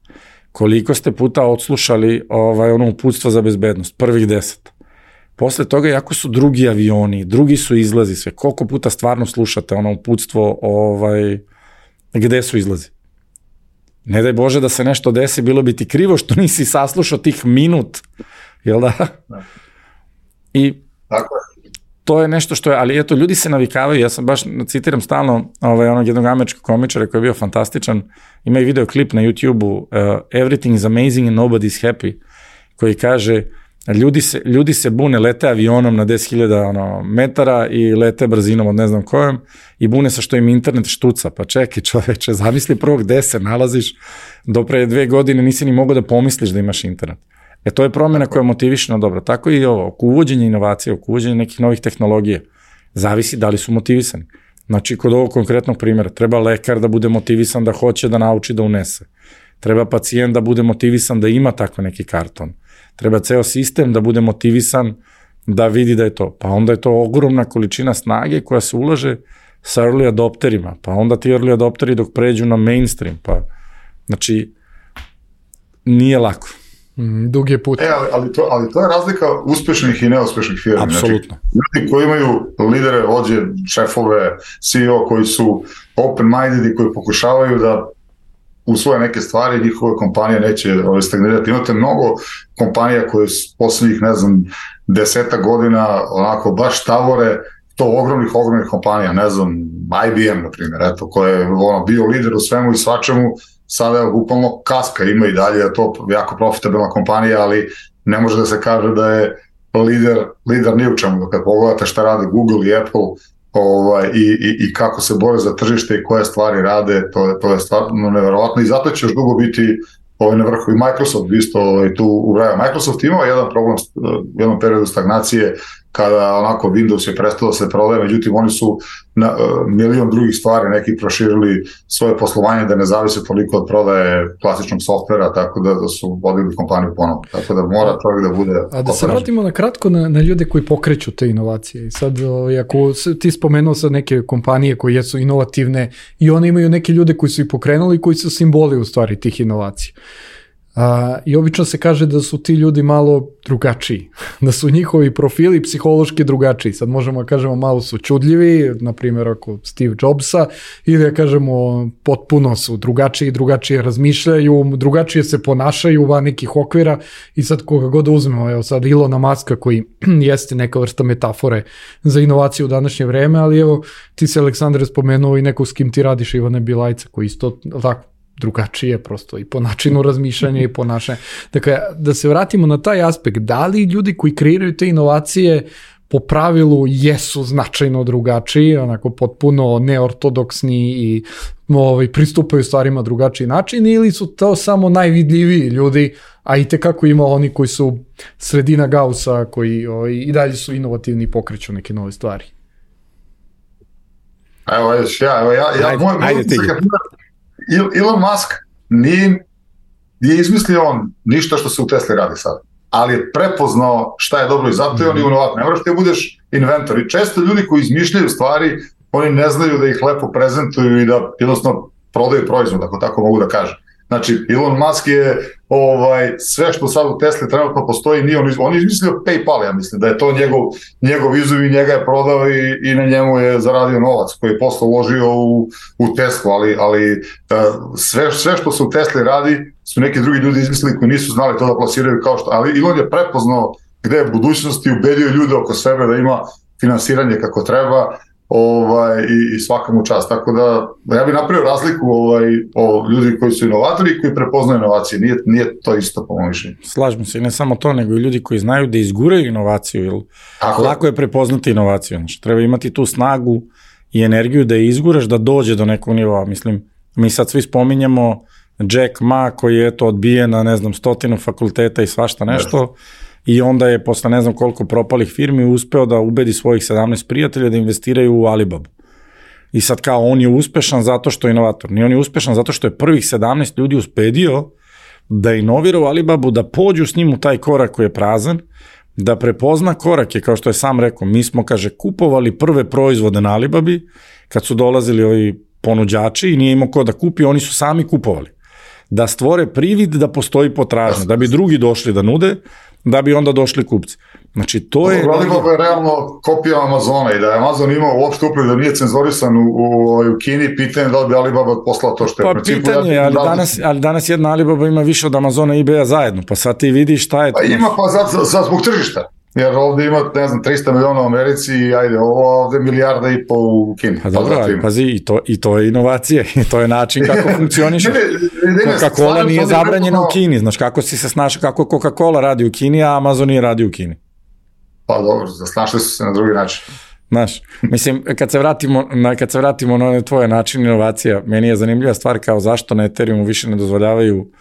Koliko ste puta odslušali ovaj, ono uputstvo za bezbednost? Prvih deset. Posle toga, jako su drugi avioni, drugi su izlazi, sve, koliko puta stvarno slušate ono uputstvo, ovaj, gde su izlazi? Ne daj Bože da se nešto desi, bilo bi ti krivo što nisi saslušao tih minut, jel da? I tako je. To je nešto što je, ali eto, ljudi se navikavaju, ja sam baš, citiram stalno ovaj, onog jednog američkog komičara koji je bio fantastičan, ima i videoklip na YouTube-u, uh, Everything is amazing and nobody is happy, koji kaže, ljudi se, ljudi se bune, lete avionom na deset hiljada ono, metara i lete brzinom od ne znam kojom i bune se što im internet štuca, pa čekaj čoveče, zamisli prvo gde se nalaziš, do pre dve godine nisi ni mogao da pomisliš da imaš internet. E to je promjena koja motiviše na dobro. Tako i ovo, oko uvođenja inovacije, oko uvođenja nekih novih tehnologija, zavisi da li su motivisani. Znači, kod ovog konkretnog primjera, treba lekar da bude motivisan da hoće da nauči da unese. Treba pacijent da bude motivisan da ima tako neki karton. Treba ceo sistem da bude motivisan da vidi da je to. Pa onda je to ogromna količina snage koja se ulaže sa early adopterima. Pa onda ti early adopteri dok pređu na mainstream. Pa, znači, nije lako. Mm, dug je put. E, ali, ali, to, ali to je razlika uspešnih i neuspešnih firmi. Apsolutno. Znači, ljudi koji imaju lidere, vođe, šefove, C E O koji su open-minded i koji pokušavaju da usvoje neke stvari, njihove kompanije neće ovaj, stagnirati. Imate mnogo kompanija koje s posljednjih, ne znam, deseta godina onako baš tavore, to ogromnih, ogromnih kompanija, ne znam, I B M, na primjer, eto, koja je ono, bio lider u svemu i svačemu, sada je bukvalno kaska, ima i dalje, je to jako profitabilna kompanija, ali ne može da se kaže da je lider, lider ni u čemu. Kad pogledate šta rade Google i Apple ovaj, i, i, i kako se bore za tržište i koje stvari rade, to je, to je stvarno neverovatno i zato će još dugo biti ovaj, na vrhu i Microsoft isto ovaj, tu ubraja. Microsoft imao jedan problem u jednom periodu stagnacije kada onako Windows je prestao da se prodaje, međutim oni su na, uh, milion drugih stvari neki proširili svoje poslovanje da ne zavise toliko od prodaje klasičnog softvera, tako da, da su vodili kompaniju ponovno. Tako da mora čovjek da bude... A da se vratimo na kratko na, na ljude koji pokreću te inovacije. I sad, ovaj, ako ti spomenuo sad neke kompanije koje jesu inovativne i one imaju neke ljude koji su ih pokrenuli koji su simboli u stvari tih inovacija. Uh, i obično se kaže da su ti ljudi malo drugačiji, da su njihovi profili psihološki drugačiji. Sad možemo da kažemo malo su čudljivi, na primjer ako Steve Jobsa, ili da kažemo potpuno su drugačiji, drugačije razmišljaju, drugačije se ponašaju van nekih okvira i sad koga god uzmemo, evo sad Ilona Maska koji jeste neka vrsta metafore za inovaciju u današnje vreme, ali evo ti se Aleksandre spomenuo i nekog s kim ti radiš, Ivane Bilajca, koji isto tako drugačije prosto i po načinu razmišljanja i ponašanja. Dakle, da se vratimo na taj aspekt, da li ljudi koji kreiraju te inovacije po pravilu jesu značajno drugačiji, onako potpuno neortodoksni i ovaj, pristupaju stvarima drugačiji način ili su to samo najvidljiviji ljudi, a i tekako ima oni koji su sredina Gaussa, koji ovaj, i dalje su inovativni i pokreću neke nove stvari. Evo, ja, evo, ja, ja, ajde, moj, ajde ti. Elon Musk nije, nije izmislio on ništa što se u Tesli radi sad, ali je prepoznao šta je dobro i zato je on inovator. Ne moraš ti budeš inventor i često ljudi koji izmišljaju stvari, oni ne znaju da ih lepo prezentuju i da jednostavno prodaju proizvod, ako tako mogu da kažem. Znači, Elon Musk je ovaj, sve što sad u Tesli trenutno postoji, nije on, on je izmislio PayPal, ja mislim, da je to njegov, njegov izum i njega je prodao i, i na njemu je zaradio novac koji je posle uložio u, u Teslu, ali, ali uh, sve, sve što se u Tesli radi su neki drugi ljudi izmislili koji nisu znali to da plasiraju kao što, ali Elon je prepoznao gde je budućnost i ubedio ljude oko sebe da ima finansiranje kako treba, ovaj, i, i svakamu čast. Tako da ja bih napravio razliku ovaj, o ljudi koji su inovatori i koji prepoznaju inovacije. Nije, nije to isto po mojom mišljenju. Slažem se, i ne samo to, nego i ljudi koji znaju da izguraju inovaciju, jer Tako. lako je prepoznati inovaciju. Znači, treba imati tu snagu i energiju da je izguraš, da dođe do nekog nivoa. Mislim, mi sad svi spominjemo Jack Ma koji je eto odbijen na, ne znam, stotinu fakulteta i svašta nešto, yes. I onda je posle ne znam koliko propalih firmi uspeo da ubedi svojih sedamnaest prijatelja da investiraju u Alibabu. I sad kao on je uspešan zato što je inovator. Nije on je uspešan zato što je prvih sedamnaest ljudi uspedio da inovira u Alibabu, da pođu s njim u taj korak koji je prazan, da prepozna korake, kao što je sam rekao, mi smo, kaže, kupovali prve proizvode na Alibabi, kad su dolazili ovi ponuđači i nije imao ko da kupi, oni su sami kupovali. Da stvore privid da postoji potražnja, da bi drugi došli da nude, da bi onda došli kupci. Znači, to je... Alibaba je realno kopija Amazona i da je Amazon imao uopšte upliv da nije cenzorisan u, u, u Kini, pitanje da li bi Alibaba poslala to što je. Pa pitanje, ja, ali, danas, ali danas jedna Alibaba ima više od Amazona i eBaya zajedno, pa sad ti vidiš šta je... Pa ima pa sad, sad zbog tržišta. Jer ovde ima, ne znam, trista miliona u Americi i ajde, ovo ovde milijarda i po u Kini. Pa dobro, ali pazi, i to, i to je inovacije, i to je način kako funkcioniše. Coca-Cola nije zabranjena u Kini, znaš, kako si se snašao, kako Coca-Cola radi u Kini, a Amazon nije radi u Kini. Pa dobro, snašli su se na drugi način. Znaš, mislim, kad se vratimo na, kad se vratimo na tvoje način inovacija, meni je zanimljiva stvar kao zašto na Ethereumu više ne dozvoljavaju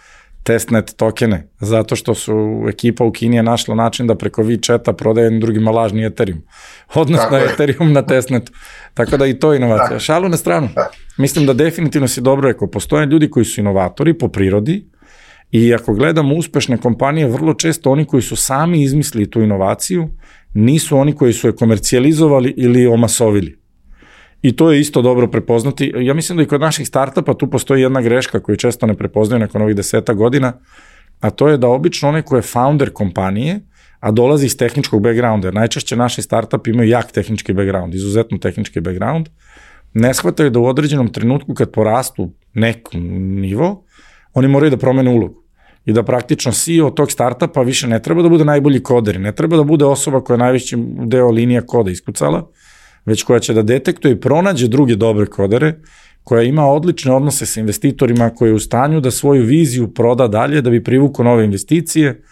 testnet tokene, zato što su ekipa u Kini je našla način da preko WeChata prodaje drugima lažni Ethereum. Odnosno Ethereum na testnetu. Tako da i to je inovacija. Tako. Šalu na stranu. Tako. Mislim da definitivno si dobro rekao, postoje ljudi koji su inovatori po prirodi i ako gledamo uspešne kompanije, vrlo često oni koji su sami izmislili tu inovaciju, nisu oni koji su je komercijalizovali ili omasovili. I to je isto dobro prepoznati. Ja mislim da i kod naših startupa tu postoji jedna greška koju često ne prepoznaju nakon ovih deseta godina, a to je da obično onaj ko je founder kompanije, a dolazi iz tehničkog backgrounda, jer najčešće naši startup imaju jak tehnički background, izuzetno tehnički background, ne shvataju da u određenom trenutku kad porastu nekom nivo, oni moraju da promene ulogu. I da praktično C E O tog startupa više ne treba da bude najbolji koder, ne treba da bude osoba koja je najveći deo linija koda iskucala, već koja će da detektuje i pronađe druge dobre kodere, koja ima odlične odnose sa investitorima, koja je u stanju da svoju viziju proda dalje, da bi privukao nove investicije.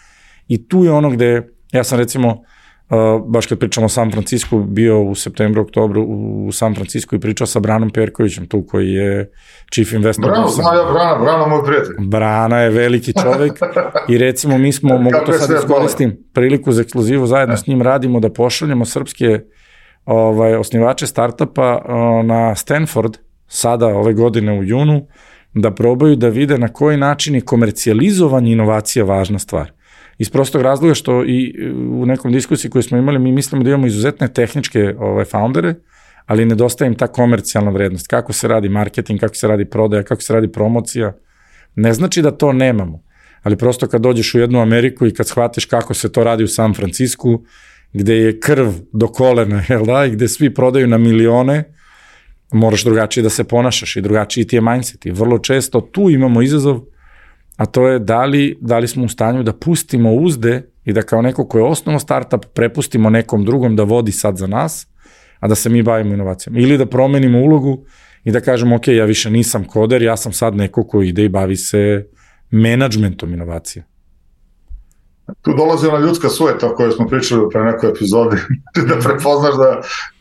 I tu je ono gde, ja sam recimo, Uh, baš kad pričamo o San Francisku, bio u septembru, oktobru u San Francisku i pričao sa Branom Perkovićem, tu koji je chief investor. Brano, zna ja Brana, Brana moj prijatelj. Brana je veliki čovek i recimo mi smo, mogu to sad iskoristim, priliku za ekskluzivu, zajedno s njim radimo da pošaljemo srpske ovaj, osnivače startupa uh, na Stanford, sada ove godine u junu, da probaju da vide na koji način je komercijalizovanje inovacija važna stvar. Iz prostog razloga što i u nekom diskusiji koju smo imali, mi mislimo da imamo izuzetne tehničke ovaj, foundere, ali nedostaje im ta komercijalna vrednost. Kako se radi marketing, kako se radi prodaja, kako se radi promocija. Ne znači da to nemamo, ali prosto kad dođeš u jednu Ameriku i kad shvatiš kako se to radi u San Francisku, gde je krv do kolena, jel da, i gde svi prodaju na milione, moraš drugačije da se ponašaš i drugačiji ti je mindset. I vrlo često tu imamo izazov, a to je da li, da li smo u stanju da pustimo uzde i da kao neko ko je osnovo startup prepustimo nekom drugom da vodi sad za nas, a da se mi bavimo inovacijama. Ili da promenimo ulogu i da kažemo, ok, ja više nisam koder, ja sam sad neko ko ide i bavi se menadžmentom inovacije. Tu dolazi ona ljudska sujeta o kojoj smo pričali pre nekoj epizodi, da prepoznaš da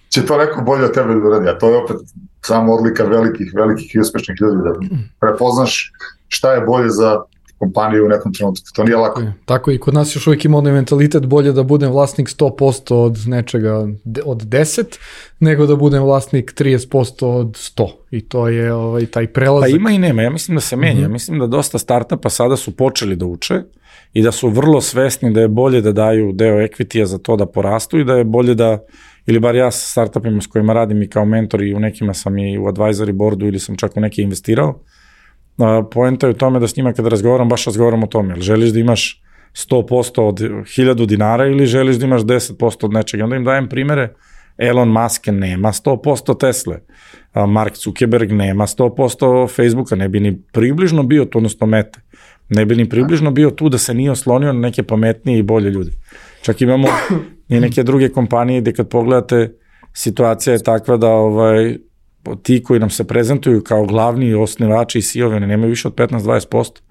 će to neko bolje od tebe da uradi, a to je opet samo odlika velikih, velikih i uspešnih ljudi, da prepoznaš šta je bolje za kompaniju u nekom trenutku. To nije lako. Tako i kod nas još uvijek ima onaj mentalitet bolje da budem vlasnik sto posto od nečega od deset, nego da budem vlasnik trideset posto od sto. I to je ovaj, taj prelazak. Pa ima i nema. Ja mislim da se menja. Mm-hmm. Mislim da dosta startupa sada su počeli da uče i da su vrlo svesni da je bolje da daju deo equity-a za to da porastu i da je bolje da, ili bar ja sa startupima s kojima radim i kao mentor i u nekima sam i u advisory boardu ili sam čak u neki investirao, poenta je u tome da s njima kada razgovaram, baš razgovaram o tome, ili želiš da imaš sto posto od hiljadu dinara ili želiš da imaš deset posto od nečega. Onda im dajem primere, Elon Musk nema sto posto Tesle, Mark Zuckerberg nema sto posto Facebooka, ne bi ni približno bio tu, odnosno Mete, ne bi ni približno bio tu da se nije oslonio na neke pametnije i bolje ljude. Čak imamo i neke druge kompanije gde kad pogledate, situacija je takva da ovaj, ti koji nam se prezentuju kao glavni osnivači i C E O-vi, ne nemaju više od petnaest do dvadeset posto,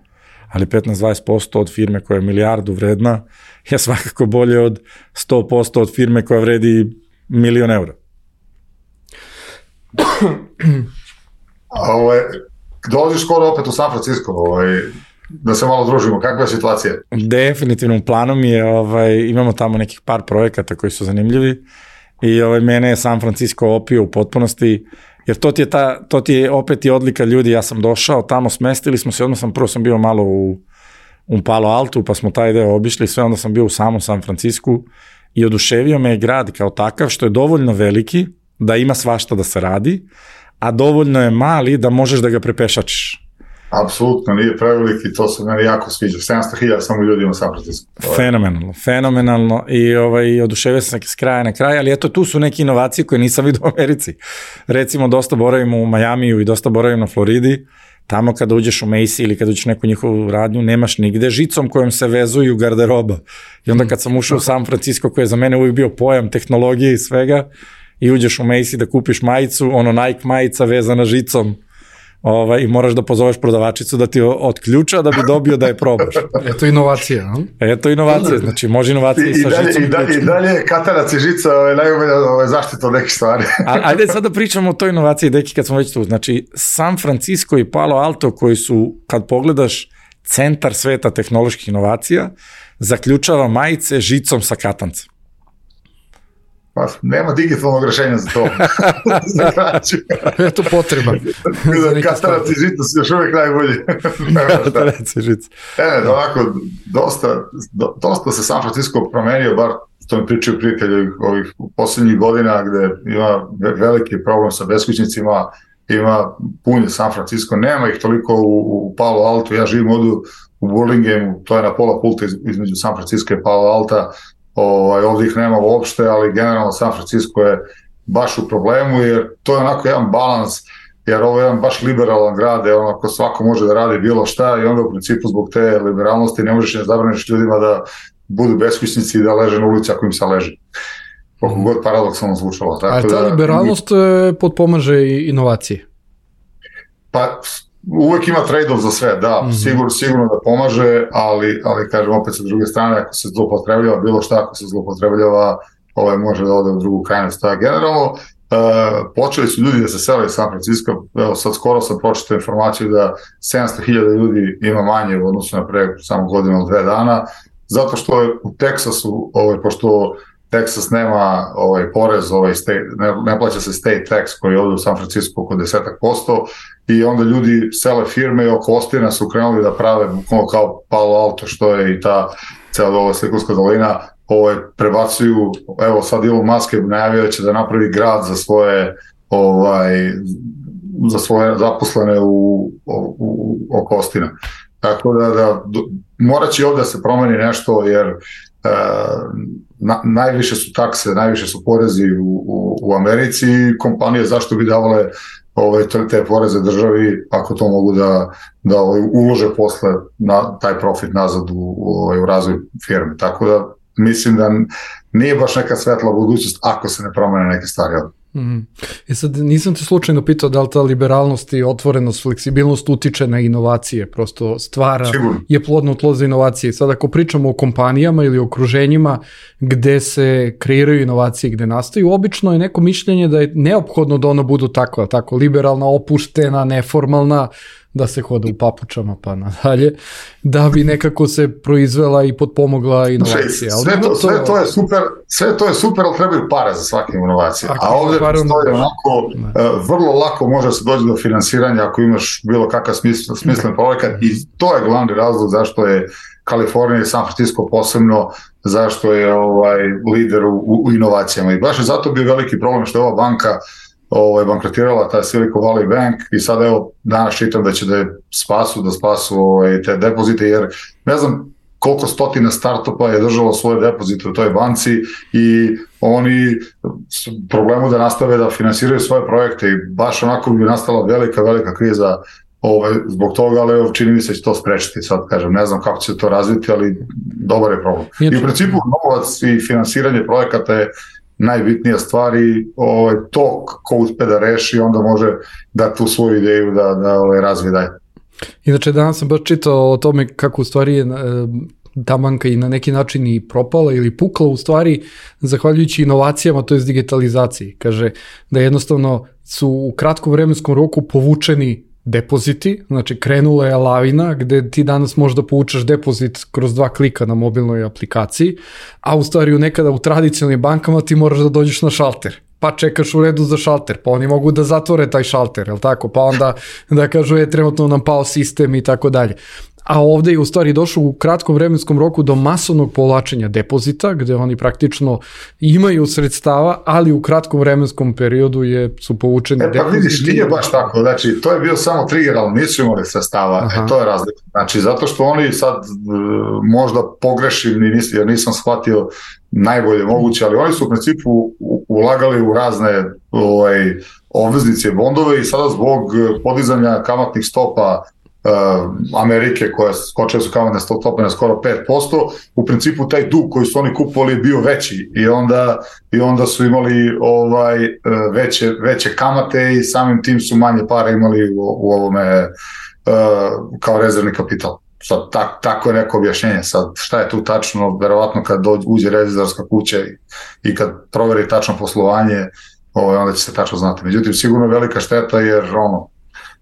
ali petnaest do dvadeset posto od firme koja je milijardu vredna je svakako bolje od sto posto od firme koja vredi milion eura. Ovaj, dolaziš skoro opet u San Francisco, ovaj, da se malo družimo, kakva je situacija? Definitivno, u planu mi je, ovaj, imamo tamo nekih par projekata koji su zanimljivi i ovaj, mene je San Francisco opio u potpunosti, jer to ti je, ta, to ti je opet i odlika ljudi, ja sam došao, tamo smestili smo se, odmah sam, prvo sam bio malo u, u Palo Altu, pa smo taj deo obišli, sve onda sam bio u samom San Francisku i oduševio me je grad kao takav, što je dovoljno veliki, da ima svašta da se radi, a dovoljno je mali da možeš da ga prepešačiš. Apsolutno, nije preveliki, to se meni jako sviđa. sedamsto hiljada samo ljudi ima San Francisco. Fenomenalno, fenomenalno i ovaj, oduševio sam se s kraja na kraj, ali eto tu su neke inovacije koje nisam vidio u Americi. Recimo, dosta boravim u Majamiju i dosta boravim na Floridi, tamo kada uđeš u Macy ili kada uđeš neku njihovu radnju, nemaš nigde žicom kojom se vezuju garderoba. I onda kad sam ušao u San Francisco, koji je za mene uvijek bio pojam tehnologije i svega, i uđeš u Macy da kupiš majicu, ono Nike majica vezana žicom, Ovaj, i moraš da pozoveš prodavačicu da ti otključa da bi dobio da je probaš. Eto inovacija, no? Eto inovacija, znači može inovacija i, i sa dalje, žicom. I dalje, i dalje katanac i žica ovaj, najbolja ovaj, zaštita od nekih stvari. A, ajde sad da pričamo o toj inovaciji, deki, kad smo već tu. Znači, San Francisco i Palo Alto, koji su, kad pogledaš, centar sveta tehnoloških inovacija, zaključava majice žicom sa katancem. Pa, nema digitalnog rešenja za to. Za kraću. Eto potreba. Katanac i žica su još uvijek najbolji. Katanac i žica. E, ovako, dosta, do, dosta se San Francisco promenio, bar što mi pričaju prijatelji ovih poslednjih godina, gde ima veliki problem sa beskućnicima, ima punje San Francisco, nema ih toliko u, u Palo Alto, ja živim ovdje u Burlingame, to je na pola puta između San Francisco i Palo Alta. Ovaj, ovdje ih nema uopšte, ali generalno San Francisco je baš u problemu, jer to je onako jedan balans, jer ovo je jedan baš liberalan grad, je onako svako može da radi bilo šta i onda u principu zbog te liberalnosti ne možeš ne zabraniš ljudima da budu beskućnici i da leže na ulici ako im se leže. Koliko god paradoksalno zvučalo. Tako a ta da, liberalnost potpomaže i inovacije? Pa uvek ima trade-off za sve, da, mm-hmm. sigurno, sigurno da pomaže, ali, ali kažem opet sa druge strane, ako se zloupotrebljava bilo šta, ako se zloupotrebljava, ovaj može da ode u drugu krajnost. Tako generalno, uh, počeli su ljudi da se sele iz San Francisco, evo sad skoro sam pročitao informaciju da sedamsto hiljada ljudi ima manje u odnosu na pre samo godinu ili dve dana, zato što je u Teksasu, ovaj, pošto Teksas nema ovaj porez, ovaj state, ne, ne plaća se state tax koji je ovdje u San Francisco oko desetak posto i onda ljudi sele firme i oko Ostina su krenuli da prave bukvalno kao Palo Alto što je i ta cela ova Silikonska dolina, ovaj, prebacuju, evo sad Elon Musk je najavio će da napravi grad za svoje ovaj, za svoje zaposlene u, u, u oko Ostina. Tako da, da morat će ovdje da se promeni nešto jer Na, najviše su takse, najviše su porezi u, u, u Americi i kompanije zašto bi davale ove, te poreze državi ako to mogu da, da ulože posle na, taj profit nazad u, u, u razvoj firme. Tako da mislim da nije baš neka svetla budućnost ako se ne promene neke stvari. Mm. I sad nisam te slučajno pitao da li ta liberalnost i otvorenost, fleksibilnost utiče na inovacije, prosto stvara, Sigurno. je plodno tlo za inovacije. Sad ako pričamo o kompanijama ili okruženjima gde se kreiraju inovacije, gde nastaju, obično je neko mišljenje da je neophodno da ona budu takva, tako liberalna, opuštena, neformalna, da se hoda u papučama pa nadalje, da bi nekako se proizvela i potpomogla inovacija. Sve to, sve to je super, sve to je super, ali trebaju pare za svake inovacije. A, a ovdje postoji onako, uh, vrlo lako može se doći do finansiranja ako imaš bilo kakav smislen, smislen projekat i to je glavni razlog zašto je Kalifornija i San Francisco posebno, zašto je ovaj lider u, u inovacijama. I baš je zato bio veliki problem što je ova banka Ovo, bankrotirala ta Silicon Valley Bank i sad evo danas čitam da će da je spasu, da spasu ovaj, te depozite jer ne znam koliko stotina startupa je držalo svoje depozite u toj banci i oni su problemu da nastave da finansiraju svoje projekte i baš onako bi nastala velika, velika kriza ovaj, zbog toga, ali evo, čini mi se će to sprečiti, sad kažem, ne znam kako će se to razviti, ali dobar je problem. I u principu novac i finansiranje projekata je najbitnija stvar i ovaj, to ko uspe da reši, onda može da tu svoju ideju da, da ovaj, razvije dalje. Inače, danas sam baš čitao o tome kako u stvari je ta banka i na neki način i propala ili pukla u stvari zahvaljujući inovacijama, to je digitalizaciji. Kaže da jednostavno su u kratkom vremenskom roku povučeni depoziti, znači krenula je lavina gde ti danas možda povučeš depozit kroz dva klika na mobilnoj aplikaciji, a u stvari u nekada u tradicionalnim bankama ti moraš da dođeš na šalter, pa čekaš u redu za šalter, pa oni mogu da zatvore taj šalter, jel tako, pa onda da kažu je trenutno nam pao sistem i tako dalje. A ovde je u stvari došlo u kratkom vremenskom roku do masovnog povlačenja depozita, gde oni praktično imaju sredstava, ali u kratkom vremenskom periodu je, su povučeni e, pa depoziti. Vidiš, nije baš tako, znači to je bio samo trigger, ali nisu imali sredstava, e, to je razlika. Znači zato što oni sad možda pogrešim, jer nisam shvatio najbolje moguće, ali oni su u principu ulagali u razne ovaj, obveznice, bondove i sada zbog podizanja kamatnih stopa Amerike koja skočila su kamatne stope na skoro pet posto, u principu taj dug koji su oni kupovali je bio veći i onda, i onda su imali ovaj, veće, veće kamate i samim tim su manje para imali u, u ovome uh, kao rezervni kapital. Sad, tak, tako je neko objašnjenje. Sad, šta je tu tačno, verovatno kad dođe, uđe revizorska kuća i, i kad proveri tačno poslovanje, ovaj, onda će se tačno znati. Međutim, sigurno velika šteta jer ono,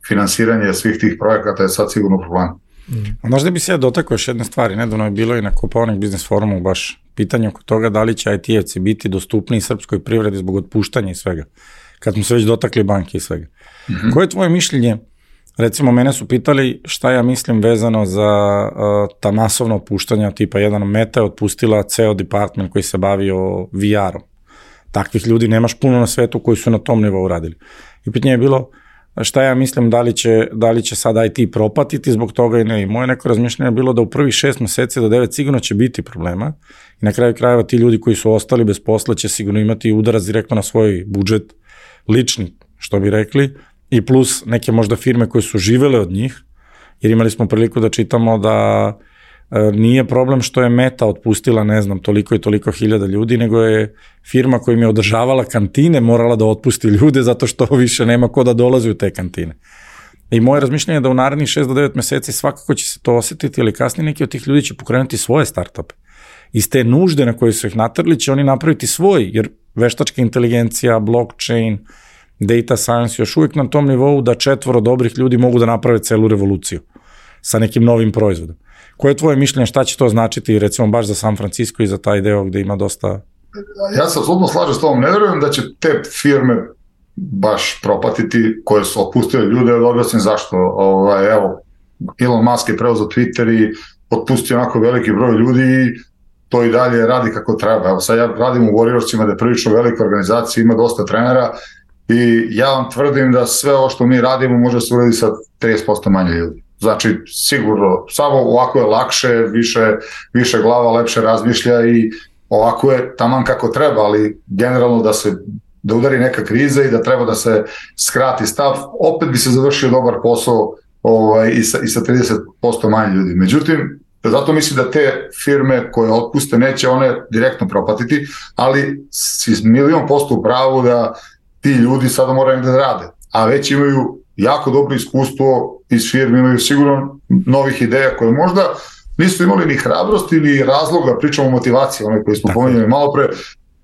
finansiranje svih tih projekata je sad sigurno problem. Mm. Možda bi se ja dotakao još jedne stvari, nedavno je bilo i na Kopaonik biznis forumu baš pitanje oko toga da li će I T-evci biti dostupni srpskoj privredi zbog otpuštanja i svega, kad smo se već dotakli banke i svega. Mm-hmm. Koje je tvoje mišljenje? Recimo, mene su pitali šta ja mislim vezano za uh, ta masovna otpuštanja, tipa jedan Meta je otpustila ceo department koji se bavio V R-om. Takvih ljudi nemaš puno na svetu koji su na tom nivou radili. I pitanje je bilo, šta ja mislim da li će, da li će sad I T propatiti zbog toga i ne. I moje neko razmišljanje je bilo da u prvih šest meseci do devet sigurno će biti problema i na kraju krajeva ti ljudi koji su ostali bez posla će sigurno imati udarac direktno na svoj budžet, lični, što bi rekli, i plus neke možda firme koje su živele od njih, jer imali smo priliku da čitamo da nije problem što je Meta otpustila, ne znam, toliko i toliko hiljada ljudi, nego je firma koja im je održavala kantine morala da otpusti ljude zato što više nema ko da dolazi u te kantine. I moje razmišljanje je da u narednih šest do devet meseci svakako će se to osetiti, ali kasnije neki od tih ljudi će pokrenuti svoje startupe. Iz te nužde na koje su ih natrli će oni napraviti svoj, jer veštačka inteligencija, blockchain, data science još uvijek na tom nivou da četvoro dobrih ljudi mogu da naprave celu revoluciju sa nekim novim proizvodom. Koje je tvoje mišljenje, šta će to značiti recimo baš za San Francisco i za taj deo gde ima dosta... Ja se apsolutno slažem s tobom, ne verujem da će te firme baš propatiti koje su otpustile ljude, od objasnim zašto. Ovaj, evo, Elon Musk je preuzeo Twitter i otpustio onako veliki broj ljudi i to i dalje radi kako treba. Evo, sad ja radim u Warriorsima, da je prilično velika organizacija, ima dosta trenera i ja vam tvrdim da sve ovo što mi radimo može se uraditi sa trideset posto manje ljudi. Znači, sigurno, samo ovako je lakše, više, više glava lepše razmišlja i ovako je taman kako treba, ali generalno da se da udari neka kriza i da treba da se skrati stav, opet bi se završio dobar posao ovaj, i, sa, i sa trideset posto manje ljudi. Međutim, zato mislim da te firme koje otpuste neće one direktno propatiti, ali si milion posto u pravu da ti ljudi sada moraju da rade, a već imaju jako dobro iskustvo iz firme, imaju sigurno novih ideja koje možda nisu imali ni hrabrosti ni razloga, pričamo o motivaciji, onaj koji smo pomenuli malo pre,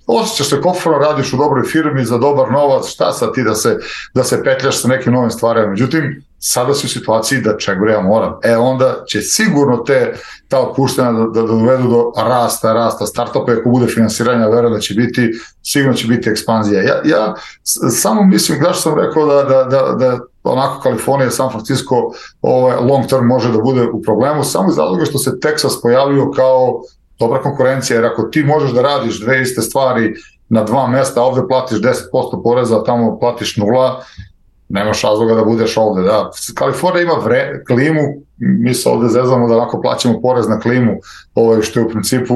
osjećaš se komfortno, radiš u dobroj firmi za dobar novac, šta sad ti da se, da se petljaš sa nekim novim stvarima. Međutim, sada si u situaciji da ček bre, ja moram. E onda će sigurno te, ta otpuštanja da, da dovedu do rasta, rasta startupa, ako bude finansiranja, verujem da će biti, sigurno će biti ekspanzija. Ja, ja samo mislim, da što sam rekao da, da, da, da onako Kalifornija, San Francisco ovaj, long term može da bude u problemu, samo iz razloga što se Texas pojavio kao dobra konkurencija, jer ako ti možeš da radiš dve iste stvari na dva mesta, ovde platiš deset posto poreza, a tamo platiš nula, nemaš razloga da budeš ovde. Da. Kalifornija ima vre, klimu, mi se ovde zezamo da onako plaćamo porez na klimu, ovaj, što je u principu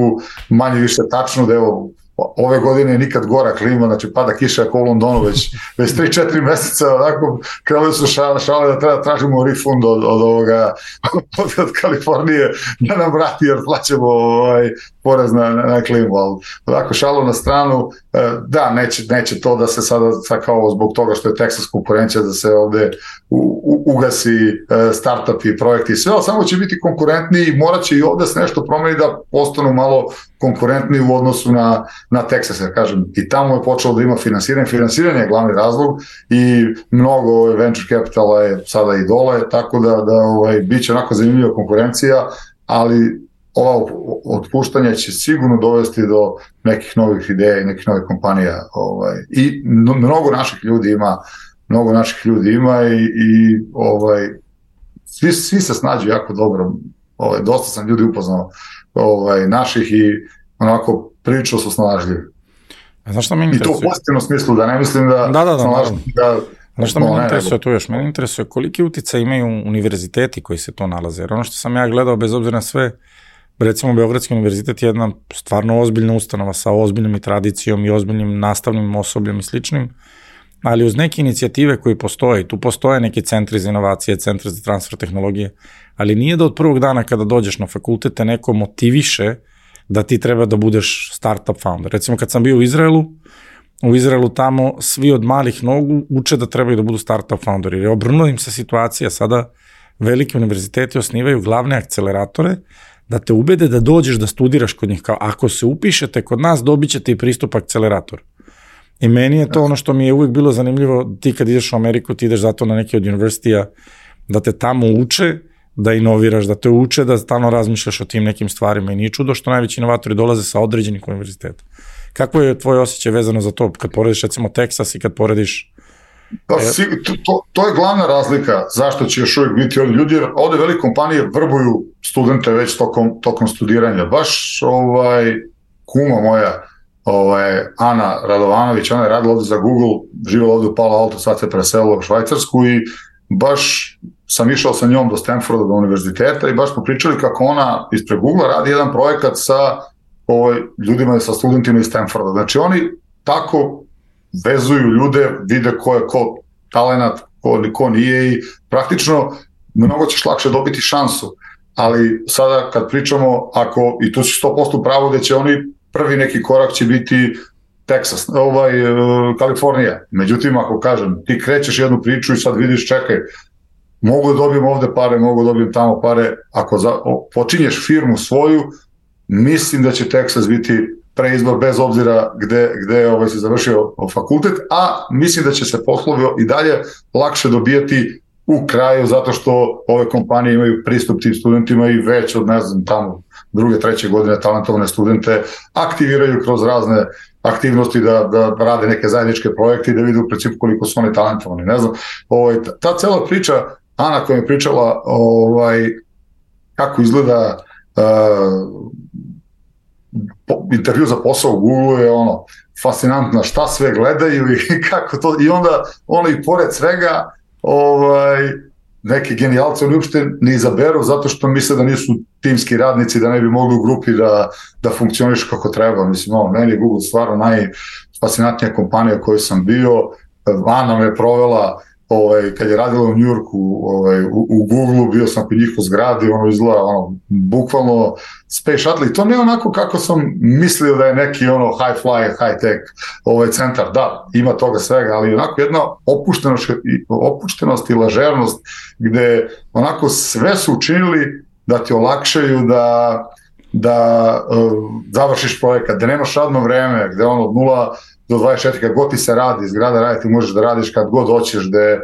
manje više tačno, da evo, ove godine nikad gora klima, znači pada kiša ako u Londonu već, već tri četiri meseca, onako, krenuli su šale, šale da treba tražimo refund od, od ovoga, od, od Kalifornije, da nam vrati jer plaćamo ovaj, porez na, na klimu, ali onako šalo na stranu, da, neće, neće to da se sada, sad kao zbog toga što je Texas konkurencija, da se ovde u, u, ugasi startup i projekti i sve, ali samo će biti konkurentni i morat će i ovde se nešto promeniti da postanu malo konkurentni u odnosu na, na Texas, ja kažem, i tamo je počelo da ima finansiranje, finansiranje je glavni razlog i mnogo venture capitala je sada i dole, tako da, da ovaj, bit će onako zanimljiva konkurencija, ali ova otpuštanja će sigurno dovesti do nekih novih ideja i nekih novih kompanija, ovaj, i mnogo naših ljudi ima, mnogo naših ljudi ima i, i ovaj, svi, svi se snađu jako dobro, ovaj, dosta sam ljudi upoznao ovaj, naših i onako prilično su snalažljivi. Znaš šta me interesuje? I to u pozitivnom smislu, da ne mislim da... Da, da, da, naravno. Da, Znaš šta no, me interesuje tu još? Mene interesuje koliki uticaj imaju univerziteti koji se to nalaze. Jer ono što sam ja gledao, bez obzira na sve, recimo Beogradski univerzitet je jedna stvarno ozbiljna ustanova sa ozbiljnom i tradicijom i ozbiljnim nastavnim osobljem i sličnim, ali uz neke inicijative koje postoje, tu postoje neki centri za inovacije, centri za transfer tehnologije, ali nije da od prvog dana kada dođeš na fakultet te neko motiviše da ti treba da budeš startup founder. Recimo kad sam bio u Izraelu, u Izraelu tamo svi od malih nogu uče da trebaju da budu startup founderi, jer je obrnula im se situacija, sada veliki univerziteti osnivaju glavne akceleratore da te ubede da dođeš da studiraš kod njih, kao ako se upišete kod nas dobit ćete i pristup akceleratoru. I meni je to ono što mi je uvijek bilo zanimljivo, ti kad ideš u Ameriku, ti ideš zato na neke od univerzitija da te tamo uče, da inoviraš, da te uče, da stalno razmišljaš o tim nekim stvarima i nije čudo što najveći inovatori dolaze sa određenih univerziteta. Kako je tvoje osjećaj vezano za to, kad porediš recimo Texas i kad porediš... Pa, to, to, to je glavna razlika zašto će još uvijek biti ovdje ljudi, jer ovdje velike kompanije vrbuju studente već tokom, tokom studiranja. Baš ovaj, kuma moja ovaj, Ana Radovanović, ona je radila ovde za Google, živjela ovde u Palo Alto, sad se preselila u Švajcarsku i baš sam išao sa njom do Stanforda, do univerziteta i baš smo pričali kako ona ispred Google radi jedan projekat sa ovaj, ljudima, sa studentima iz Stanforda. Znači oni tako vezuju ljude, vide ko je ko talenat, ko, ko nije i praktično mnogo ćeš lakše dobiti šansu. Ali sada kad pričamo, ako, i tu si sto posto pravo da će oni, prvi neki korak će biti Texas, ovaj, Kalifornija. Međutim, ako kažem, ti krećeš jednu priču i sad vidiš, čekaj, mogu da dobijem ovde pare, mogu da dobijem tamo pare, ako za, o, počinješ firmu svoju, mislim da će Texas biti preizbor bez obzira gde, gde ovaj, si završio fakultet, a mislim da će se poslovi i dalje lakše dobijati u kraju, zato što ove kompanije imaju pristup tim studentima i već od, ne znam, tamo druge, treće godine talentovane studente aktiviraju kroz razne aktivnosti da, da rade neke zajedničke projekte i da vide u principu koliko su oni talentovani. Ne znam, ovaj, ta, ta cela priča, Ana koja je pričala ovaj, kako izgleda uh, po, intervju za posao u Google je ono fascinantno, šta sve gledaju i kako to, i onda ono i pored svega ovaj, neke genijalce oni uopšte ne izaberu zato što misle da nisu timski radnici, da ne bi mogli u grupi da, da funkcioniš kako treba. Mislim, ono, meni je Google stvarno najfascinantnija kompanija koju sam bio. Ana me je provela, ovaj, kad je radila u Njujorku, ovaj, u, u Google, bio sam kod njih u zgradi, ono izgleda ono, bukvalno space shuttle i to ne onako kako sam mislio da je neki ono high fly, high tech ovaj centar. Da, ima toga svega, ali onako jedna opuštenost, opuštenost i lažernost gde onako sve su učinili da ti olakšaju da da uh, završiš projekat, da nemaš radno vreme, gde ono od nula do dvadeset četiri kad god ti se radi, zgrada radi, ti možeš da radiš kad god hoćeš, da e,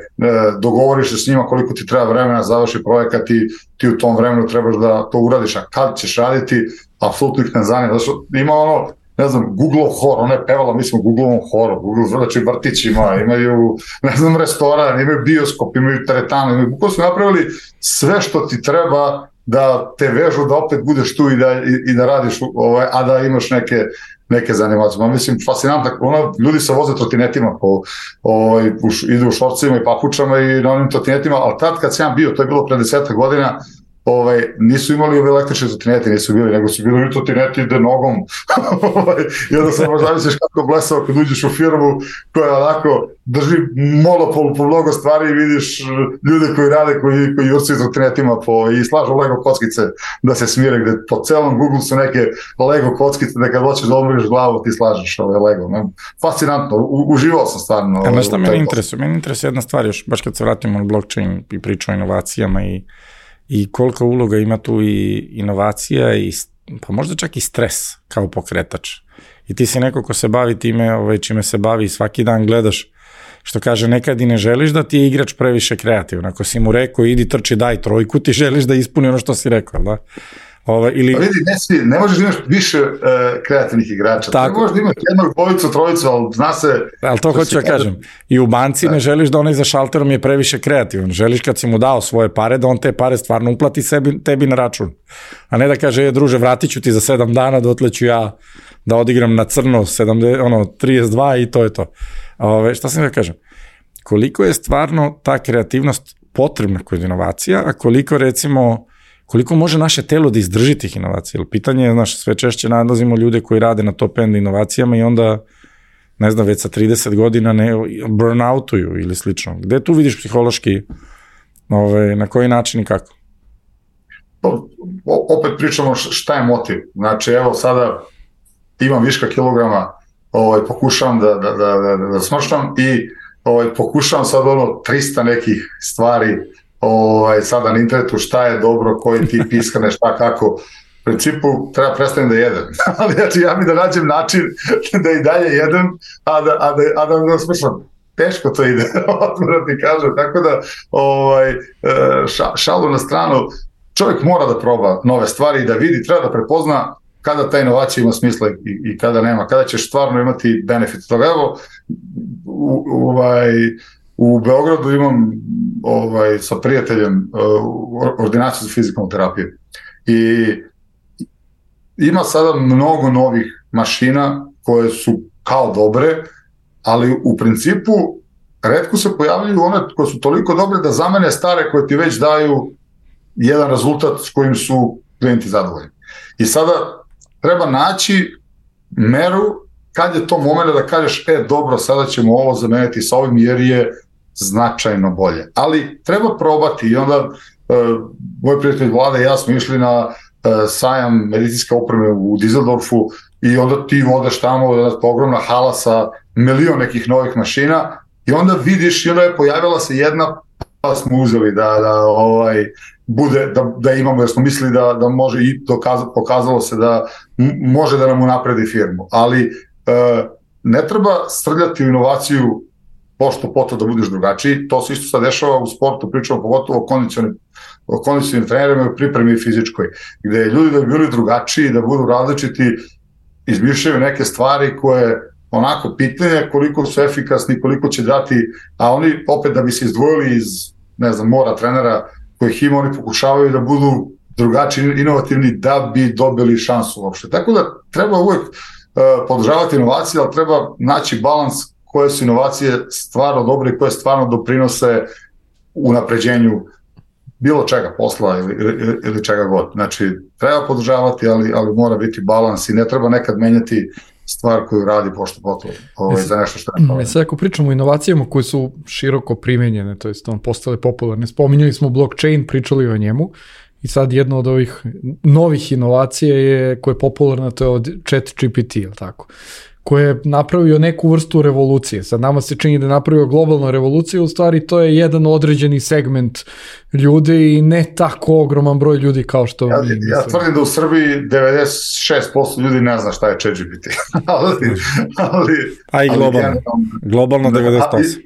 dogovoriš se s njima koliko ti treba vremena, završi projekat i ti u tom vremenu trebaš da to uradiš, a kad ćeš raditi, apsolutno ih ne zanima. Znači, ima ono, ne znam, Google hor, ona je pevala, mi smo u Google horu, Google znači vrtić ima, imaju, ne znam, restoran, imaju bioskop, imaju teretanu, imaju, kako su napravili sve što ti treba da te vežu, da opet budeš tu i da, i, i da radiš, ovaj, a da imaš neke neke zanimacije. Ma mislim, fascinantno, ono, ljudi se voze trotinetima, po, ovaj, u, idu u šorcima i papučama i na onim trotinetima, ali tad kad sam bio, to je bilo pre desetak godina, ovaj, nisu imali ove električne trotinete, nisu bili, nego su bili trotineti ide nogom. I onda se možda misliš kako blesao kad uđeš u firmu koja onako drži monopol po mnogo stvari i vidiš ljude koji rade, koji, koji jurcuju trotinetima po, i slažu Lego kockice da se smire, gde po celom Google su neke Lego kockice da kad hoćeš da odmoriš glavu ti slažeš ove Lego. Ne? Fascinantno, u, uživao sam stvarno. A nešto meni interesuje, meni interesuje jedna stvar još, baš kad se vratimo na blockchain i priču o inovacijama i i kolika uloga ima tu i inovacija i pa možda čak i stres kao pokretač. I ti si neko ko se bavi time, ovaj, čime se bavi i svaki dan gledaš, što kaže, nekad i ne želiš da ti je igrač previše kreativan. Ako si mu rekao idi trči daj trojku, ti želiš da ispuni ono što si rekao, da? Ove, ili... Pa vidi, ne, svi, ne možeš da imaš više uh, kreativnih igrača. Tako. Ne možeš da imaš jednog, dvojicu, trojicu, ali zna se... Ali to hoću da kažem. I u banci da. Ne želiš da onaj za šalterom je previše kreativan. Želiš kad si mu dao svoje pare, da on te pare stvarno uplati sebi, tebi na račun. A ne da kaže, je, druže, vratit ću ti za sedam dana, dotle ću ja da odigram na crno sedamdeset, ono, trideset dva i to je to. Ove, šta sam da kažem? Koliko je stvarno ta kreativnost potrebna kod inovacija, a koliko recimo... koliko može naše telo da izdrži tih inovacija. Jer pitanje je, znaš, sve češće nadlazimo ljude koji rade na top end inovacijama i onda, ne znam, već sa trideset godina ne burnoutuju ili slično. Gde tu vidiš psihološki, ove, na koji način i kako? Opet pričamo šta je motiv. Znači, evo sada imam viška kilograma, ovaj, pokušavam da, da, da, da, da smrštam i ovaj, pokušavam sad ono trista nekih stvari ovaj, sada na internetu šta je dobro, koji tip ishrane, šta kako. U principu treba prestanem da jedem. Ali znači, ja mi da nađem način da i dalje jedem, a da, a da, a da, da smršam. Teško to ide, odmah ti kažem. Tako da, ovaj, ša, šalu na stranu, čovjek mora da proba nove stvari i da vidi, treba da prepozna kada ta inovacija ima smisla i, i kada nema, kada ćeš stvarno imati benefit toga. Evo, u, ovaj, u Beogradu imam ovaj, sa prijateljem uh, ordinaciju za fizikalnu terapiju i ima sada mnogo novih mašina koje su kao dobre, ali u principu retko se pojavljaju one koje su toliko dobre da zamene stare koje ti već daju jedan rezultat s kojim su klijenti zadovoljni. I sada treba naći meru kad je to moment da kažeš, e dobro, sada ćemo ovo zameniti sa ovim jer je značajno bolje. Ali treba probati i onda uh, moj prijatelj Vlada i ja smo išli na uh, sajam medicinske opreme u Düsseldorfu i onda ti odeš tamo, ogromna hala sa milion nekih novih mašina i onda vidiš i onda je pojavila se jedna, pa smo uzeli da, da ovaj, bude, da, da imamo, jer smo mislili da, da može i dokaz, pokazalo se da m- može da nam unapredi firmu. Ali uh, ne treba srljati u inovaciju pošto poto da budeš drugačiji, to se isto sad dešava u sportu, pričamo pogotovo o kondicionim, o kondicionim trenerima i pripremi fizičkoj, gde ljudi da bi bili drugačiji, da budu različiti, izmišljaju neke stvari koje onako pitanje koliko su efikasni, koliko će dati, a oni opet da bi se izdvojili iz, ne znam, mora trenera kojih ima, oni pokušavaju da budu drugačiji, inovativni da bi dobili šansu uopšte. Tako da treba uvek uh, podržavati inovacije, ali treba naći balans koje su inovacije stvarno dobre i koje stvarno doprinose unapređenju bilo čega, posla ili, ili, ili čega god. Znači, treba podržavati, ali, ali mora biti balans i ne treba nekad menjati stvar koju radi pošto potom ovaj, za nešto što ne pove. Sad ako pričamo o inovacijama koje su široko primenjene, to jest on postale popularne, spominjali smo blockchain, pričali o njemu i sad jedna od ovih novih inovacija je, koja je popularna, to je od ChatGPT, je li tako? Koje je napravio neku vrstu revolucije. Sad nama se čini da je napravio globalnu revoluciju, u stvari to je jedan određeni segment ljudi i ne tako ogroman broj ljudi kao što ja, mi mislimo. Ja tvrdim da u Srbiji devedeset šest posto ljudi ne zna šta je ChatGPT. ali, ali, A i globalno. Ali, globalno devedeset osam.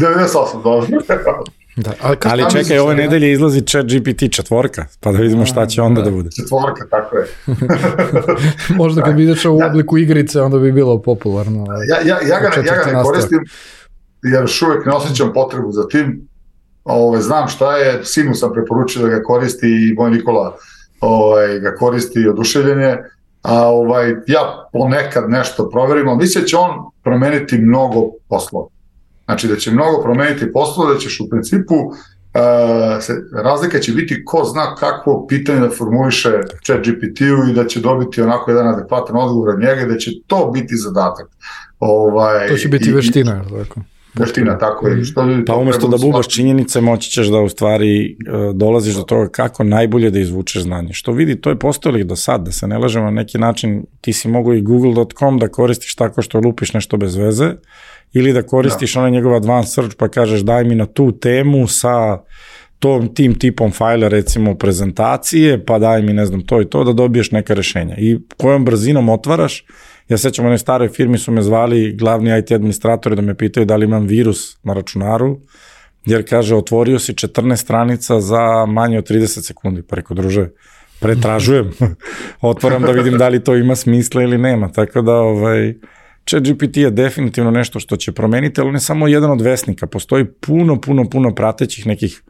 devedeset osam, dobro. Da, ali, ali čekaj, ove nedelje izlazi ChatGPT četvorka, pa da vidimo šta će onda da, da bude. Četvorka, tako je. Možda kad bi izašao u obliku igrice, onda bi bilo popularno. Ja, ja, ja, ga, ja ga ne koristim, jer još uvek ne osjećam potrebu za tim. Ove, znam šta je, sinu sam preporučio da ga koristi i moj Nikola ove, ga koristi oduševljenje, a ovaj, ja ponekad nešto proverim, ali mislim da će on promeniti mnogo poslova. Znači da će mnogo promeniti poslove, da ćeš u principu, uh, se, razlika će biti ko zna kakvo pitanje da formuliše ChatGPT-u i da će dobiti onako jedan adekvatan odgovor od njega, da će to biti zadatak. Ovaj, to će biti i, veština, tako? Veština, tako je. Što pa umesto da bubaš činjenice, moći ćeš da u stvari uh, dolaziš do toga kako najbolje da izvučeš znanje. Što vidi, to je postojalo do sad, da se ne lažemo na neki način, ti si mogu i google dot com da koristiš tako što lupiš nešto bez veze, ili da koristiš da. onaj njegov advanced search pa kažeš daj mi na tu temu sa tom, tim tipom fajla recimo prezentacije, pa daj mi ne znam to i to da dobiješ neka rešenja. I kojom brzinom otvaraš, ja sećam u jednoj staroj firmi su me zvali glavni I T administratori da me pitaju da li imam virus na računaru, jer kaže otvorio si četrnaest stranica za manje od trideset sekundi, pa reko druže, pretražujem, otvaram da vidim da li to ima smisla ili nema, tako da ovaj ChatGPT je definitivno nešto što će promeniti, ali ne samo jedan od vesnika, postoji puno, puno, puno pratećih nekih,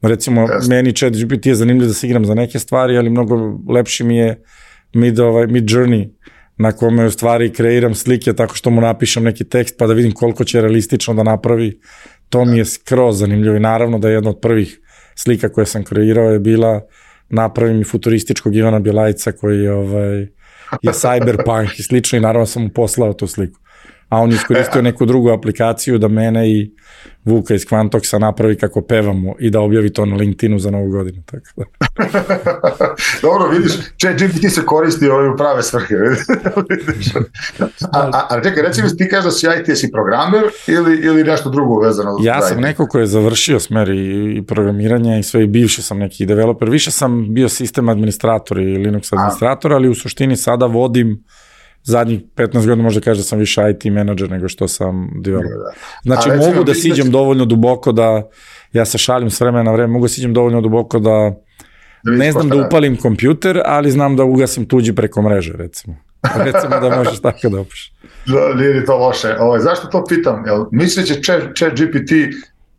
recimo yes. meni ChatGPT je zanimljiv da se igram za neke stvari, ali mnogo lepši mi je Mid, ovaj, Mid Journey, na kome u stvari kreiram slike tako što mu napišem neki tekst pa da vidim koliko će realistično da napravi, to mi je skroz zanimljivo i naravno da je jedna od prvih slika koje sam kreirao je bila napravim i futurističkog Ivana Bjelajca koji je ovaj, je cyberpunk i slično i naravno sam mu poslao tu sliku. A on je iskoristio neku drugu aplikaciju da mene i Vuka iz Quantoxa napravi kako pevamo i da objavi to na LinkedInu za novu godinu. Tako da. Dobro, vidiš, ChatGPT se koristi u prave svrhe. a, a, a čekaj, recimo ti kažeš da si I T, si programer ili, ili nešto drugo vezano? Ja sam neko ko je završio smer i, i programiranje i sve i bivši sam neki developer. Više sam bio sistem administrator i Linux administrator, a. ali u suštini sada vodim zadnjih petnaest godina možda kaže da sam više I T menadžer nego što sam developer. Znači A, mogu da siđem da... dovoljno duboko da, ja se šalim s vremena na vreme, mogu da siđem dovoljno duboko da, da ne znam da upalim kompjuter, ali znam da ugasim tuđi preko mreže, recimo. Recimo da možeš tako da opiš. Nije to loše. Ovo, zašto to pitam? Jel, mislim će ChatGPT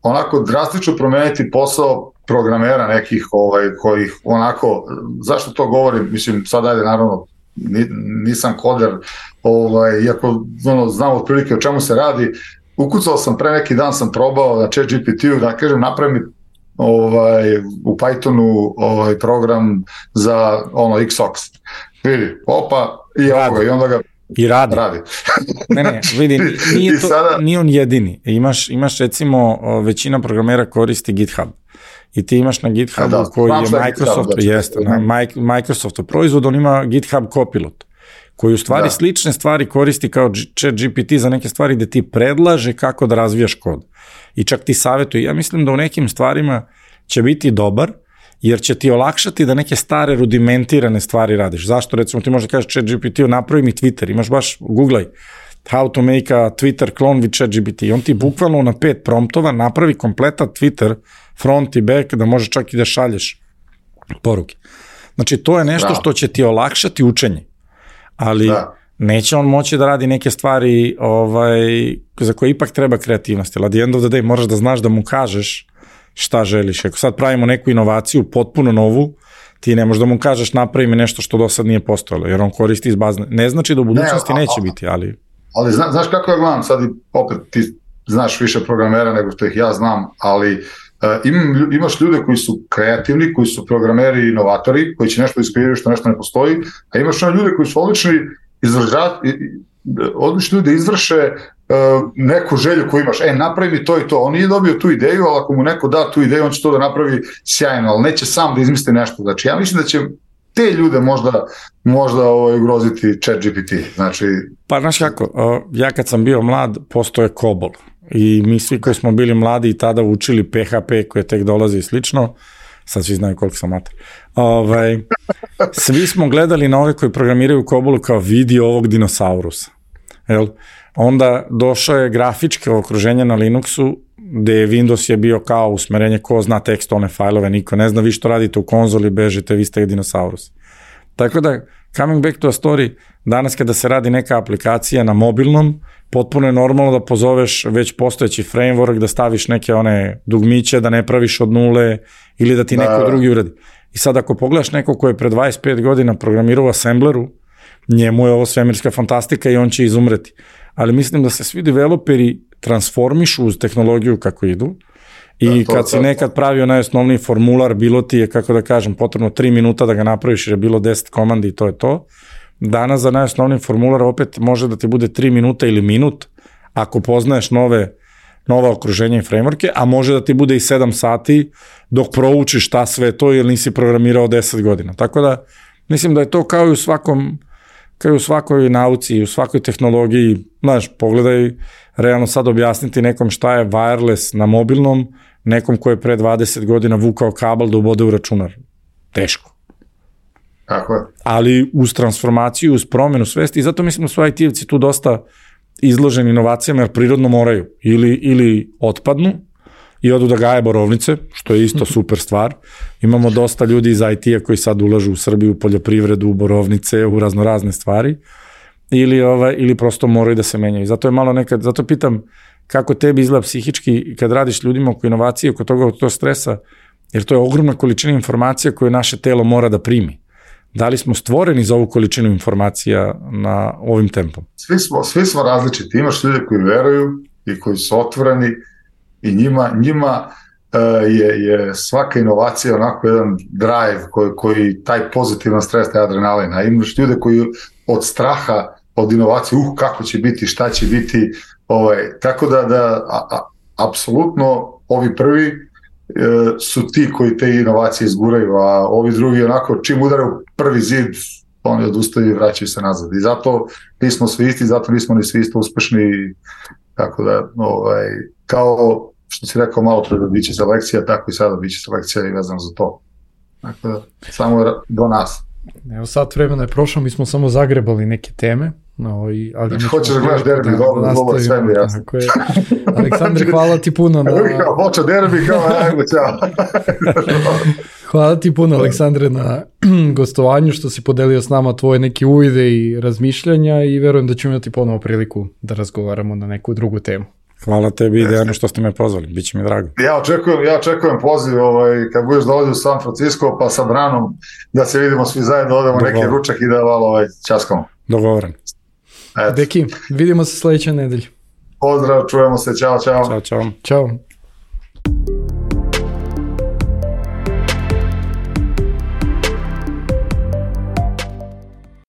onako drastično promeniti posao programera nekih ovaj, kojih onako, zašto to govorim? Mislim, sad ajde naravno nisam koder, ovaj, iako ono, znam otprilike o čemu se radi. Ukucao sam pre neki dan, sam probao na ChatGPT-u da kažem napravi mi ovaj, u Pythonu ovaj, program za ono X O X. Vidi, opa, i ovoga, i onda ga I radi. radi. Ne, ne, vidi, nije, to, sada... nije on jedini. Imaš, imaš recimo, većina programera koristi GitHub. I ti imaš na GitHubu da, koji je Microsoft, da, jeste, na Microsoftov proizvod, on ima GitHub Copilot, koji u stvari da. slične stvari koristi kao ChatGPT za neke stvari gde ti predlaže kako da razvijaš kod. I čak ti savjetuje. Ja mislim da u nekim stvarima će biti dobar, jer će ti olakšati da neke stare rudimentirane stvari radiš. Zašto? Recimo ti možda kažeš ChatGPT-u napravi mi Twitter, imaš baš, googlaj how to make a Twitter clone with ChatGPT. On ti bukvalno na pet promptova napravi kompletan Twitter, front i back, da može čak i da šalješ poruke. Znači, to je nešto što će ti olakšati učenje. Ali da. neće on moći da radi neke stvari ovaj, za koje ipak treba kreativnost. At the end of the day moraš da znaš da mu kažeš šta želiš. Ako sad pravimo neku inovaciju, potpuno novu, ti ne možeš da mu kažeš napravi mi nešto što do sad nije postojalo, jer on koristi iz bazne. Ne znači da u budućnosti ne, a, neće a, biti, ali... Ali zna, znaš kako ja gledam, sad i opet ti znaš više programera nego što ih ja znam, ali uh, im, imaš ljude koji su kreativni, koji su programeri i inovatori, koji će nešto iskreirati što nešto ne postoji, a imaš ono ljude koji su odlični izražati, odlični ljudi izvrše uh, neku želju koju imaš, e, napravi mi to i to, on nije dobio tu ideju, ali ako mu neko da tu ideju, on će to da napravi sjajno, ali neće sam da izmisli nešto. Znači, ja mislim da će te ljude možda, možda ovaj, ugroziti ChatGPT. Znači... Pa, znaš kako, ja kad sam bio mlad, postoje COBOL i mi svi koji smo bili mladi i tada učili P H P koje tek dolazi i slično, sad svi znaju koliko sam mater. Ovaj, svi smo gledali na ove koji programiraju u COBOL-u kao vidi ovog dinosaurusa. Jel? Onda došao je grafičko okruženje na Linuxu, gde je Windows je bio kao usmerenje ko zna tekstualne fajlove, niko ne zna vi što radite u konzoli, bežite, vi ste dinosaurus. Tako da, coming back to a story, danas kada se radi neka aplikacija na mobilnom, potpuno je normalno da pozoveš već postojeći framework, da staviš neke one dugmiće, da ne praviš od nule ili da ti da. neko drugi uradi. I sad ako pogledaš neko ko je pre dvadeset pet godina programirao u Assembleru, njemu je ovo svemirska fantastika i on će izumreti. Ali mislim da se svi developeri transformišu uz tehnologiju kako idu i da, kad si nekad pravio najosnovniji formular, bilo ti je, kako da kažem, potrebno tri minuta da ga napraviš jer je bilo deset komandi i to je to. Danas za najosnovniji formular opet može da ti bude tri minuta ili minut ako poznaješ nove, nova okruženja i frameworke, a može da ti bude i sedam sati dok proučiš šta sve to jer nisi programirao deset godina. Tako da mislim da je to kao i u svakom kao i u svakoj nauci i u svakoj tehnologiji, znaš, pogledaj, realno sad objasniti nekom šta je wireless na mobilnom, nekom ko je pre dvadeset godina vukao kabel da ubode u računar. Teško. Tako je. Ali uz transformaciju, uz promenu svesti, i zato mislim da su I T-evci tu dosta izloženi inovacijama, jer prirodno moraju. Ili, ili otpadnu i odu da gaje borovnice, što je isto super stvar. Imamo dosta ljudi iz I T-a koji sad ulažu u Srbiju, u poljoprivredu, u borovnice, u razno razne stvari. Ili, ovaj, ili prosto moraju da se menjaju. Zato je malo nekad, zato pitam kako tebi izgleda psihički kad radiš ljudima oko inovacije, oko toga, oko toga stresa, jer to je ogromna količina informacija koju naše telo mora da primi. Da li smo stvoreni za ovu količinu informacija na ovim tempom? Svi smo, svi smo različiti. Imaš ljude koji veruju i koji su otvoreni i njima, njima uh, je, je svaka inovacija onako jedan drive koji, koji taj pozitivan stres, taj adrenalin. A imaš ljude koji od straha, od inovacije, uh, kako će biti, šta će biti, ovaj, tako da, da a, a, apsolutno ovi prvi e, su ti koji te inovacije izguraju, a ovi drugi onako čim udaraju prvi zid, oni odustaju i vraćaju se nazad. I zato nismo svi isti, zato nismo ni svi isto uspešni, tako da, ovaj, kao što si rekao malo pre da biće selekcija, tako i sada biće selekcija i vezano za to. Tako da, samo do nas. Evo sat vremena je prošlo, mi smo samo zagrebali neke teme. No, i, ali znači, hoćeš da gledaš derbi, da, dobro, da dobro, sve mi jasno. Aleksandre, hvala ti puno. Na... Hoće derbi, kao ajmo, ćao. Hvala ti puno, Aleksandre, na gostovanju, što si podelio s nama tvoje neke uvide i razmišljanja i verujem da ćemo imati ponovo priliku da razgovaramo na neku drugu temu. Hvala tebi i Dejanu što ste me pozvali, bit će mi drago. Ja očekujem, ja očekujem poziv ovaj, kad budeš da u San Francisco pa sa Branom da se vidimo svi zajedno, odemo Dogovor. neki ručak i da malo ovaj, časkamo. Dogovoren. Deki, vidimo se sledeće nedelje. Pozdrav, čujemo se, čao, čao. Ćao, čao. Ćao.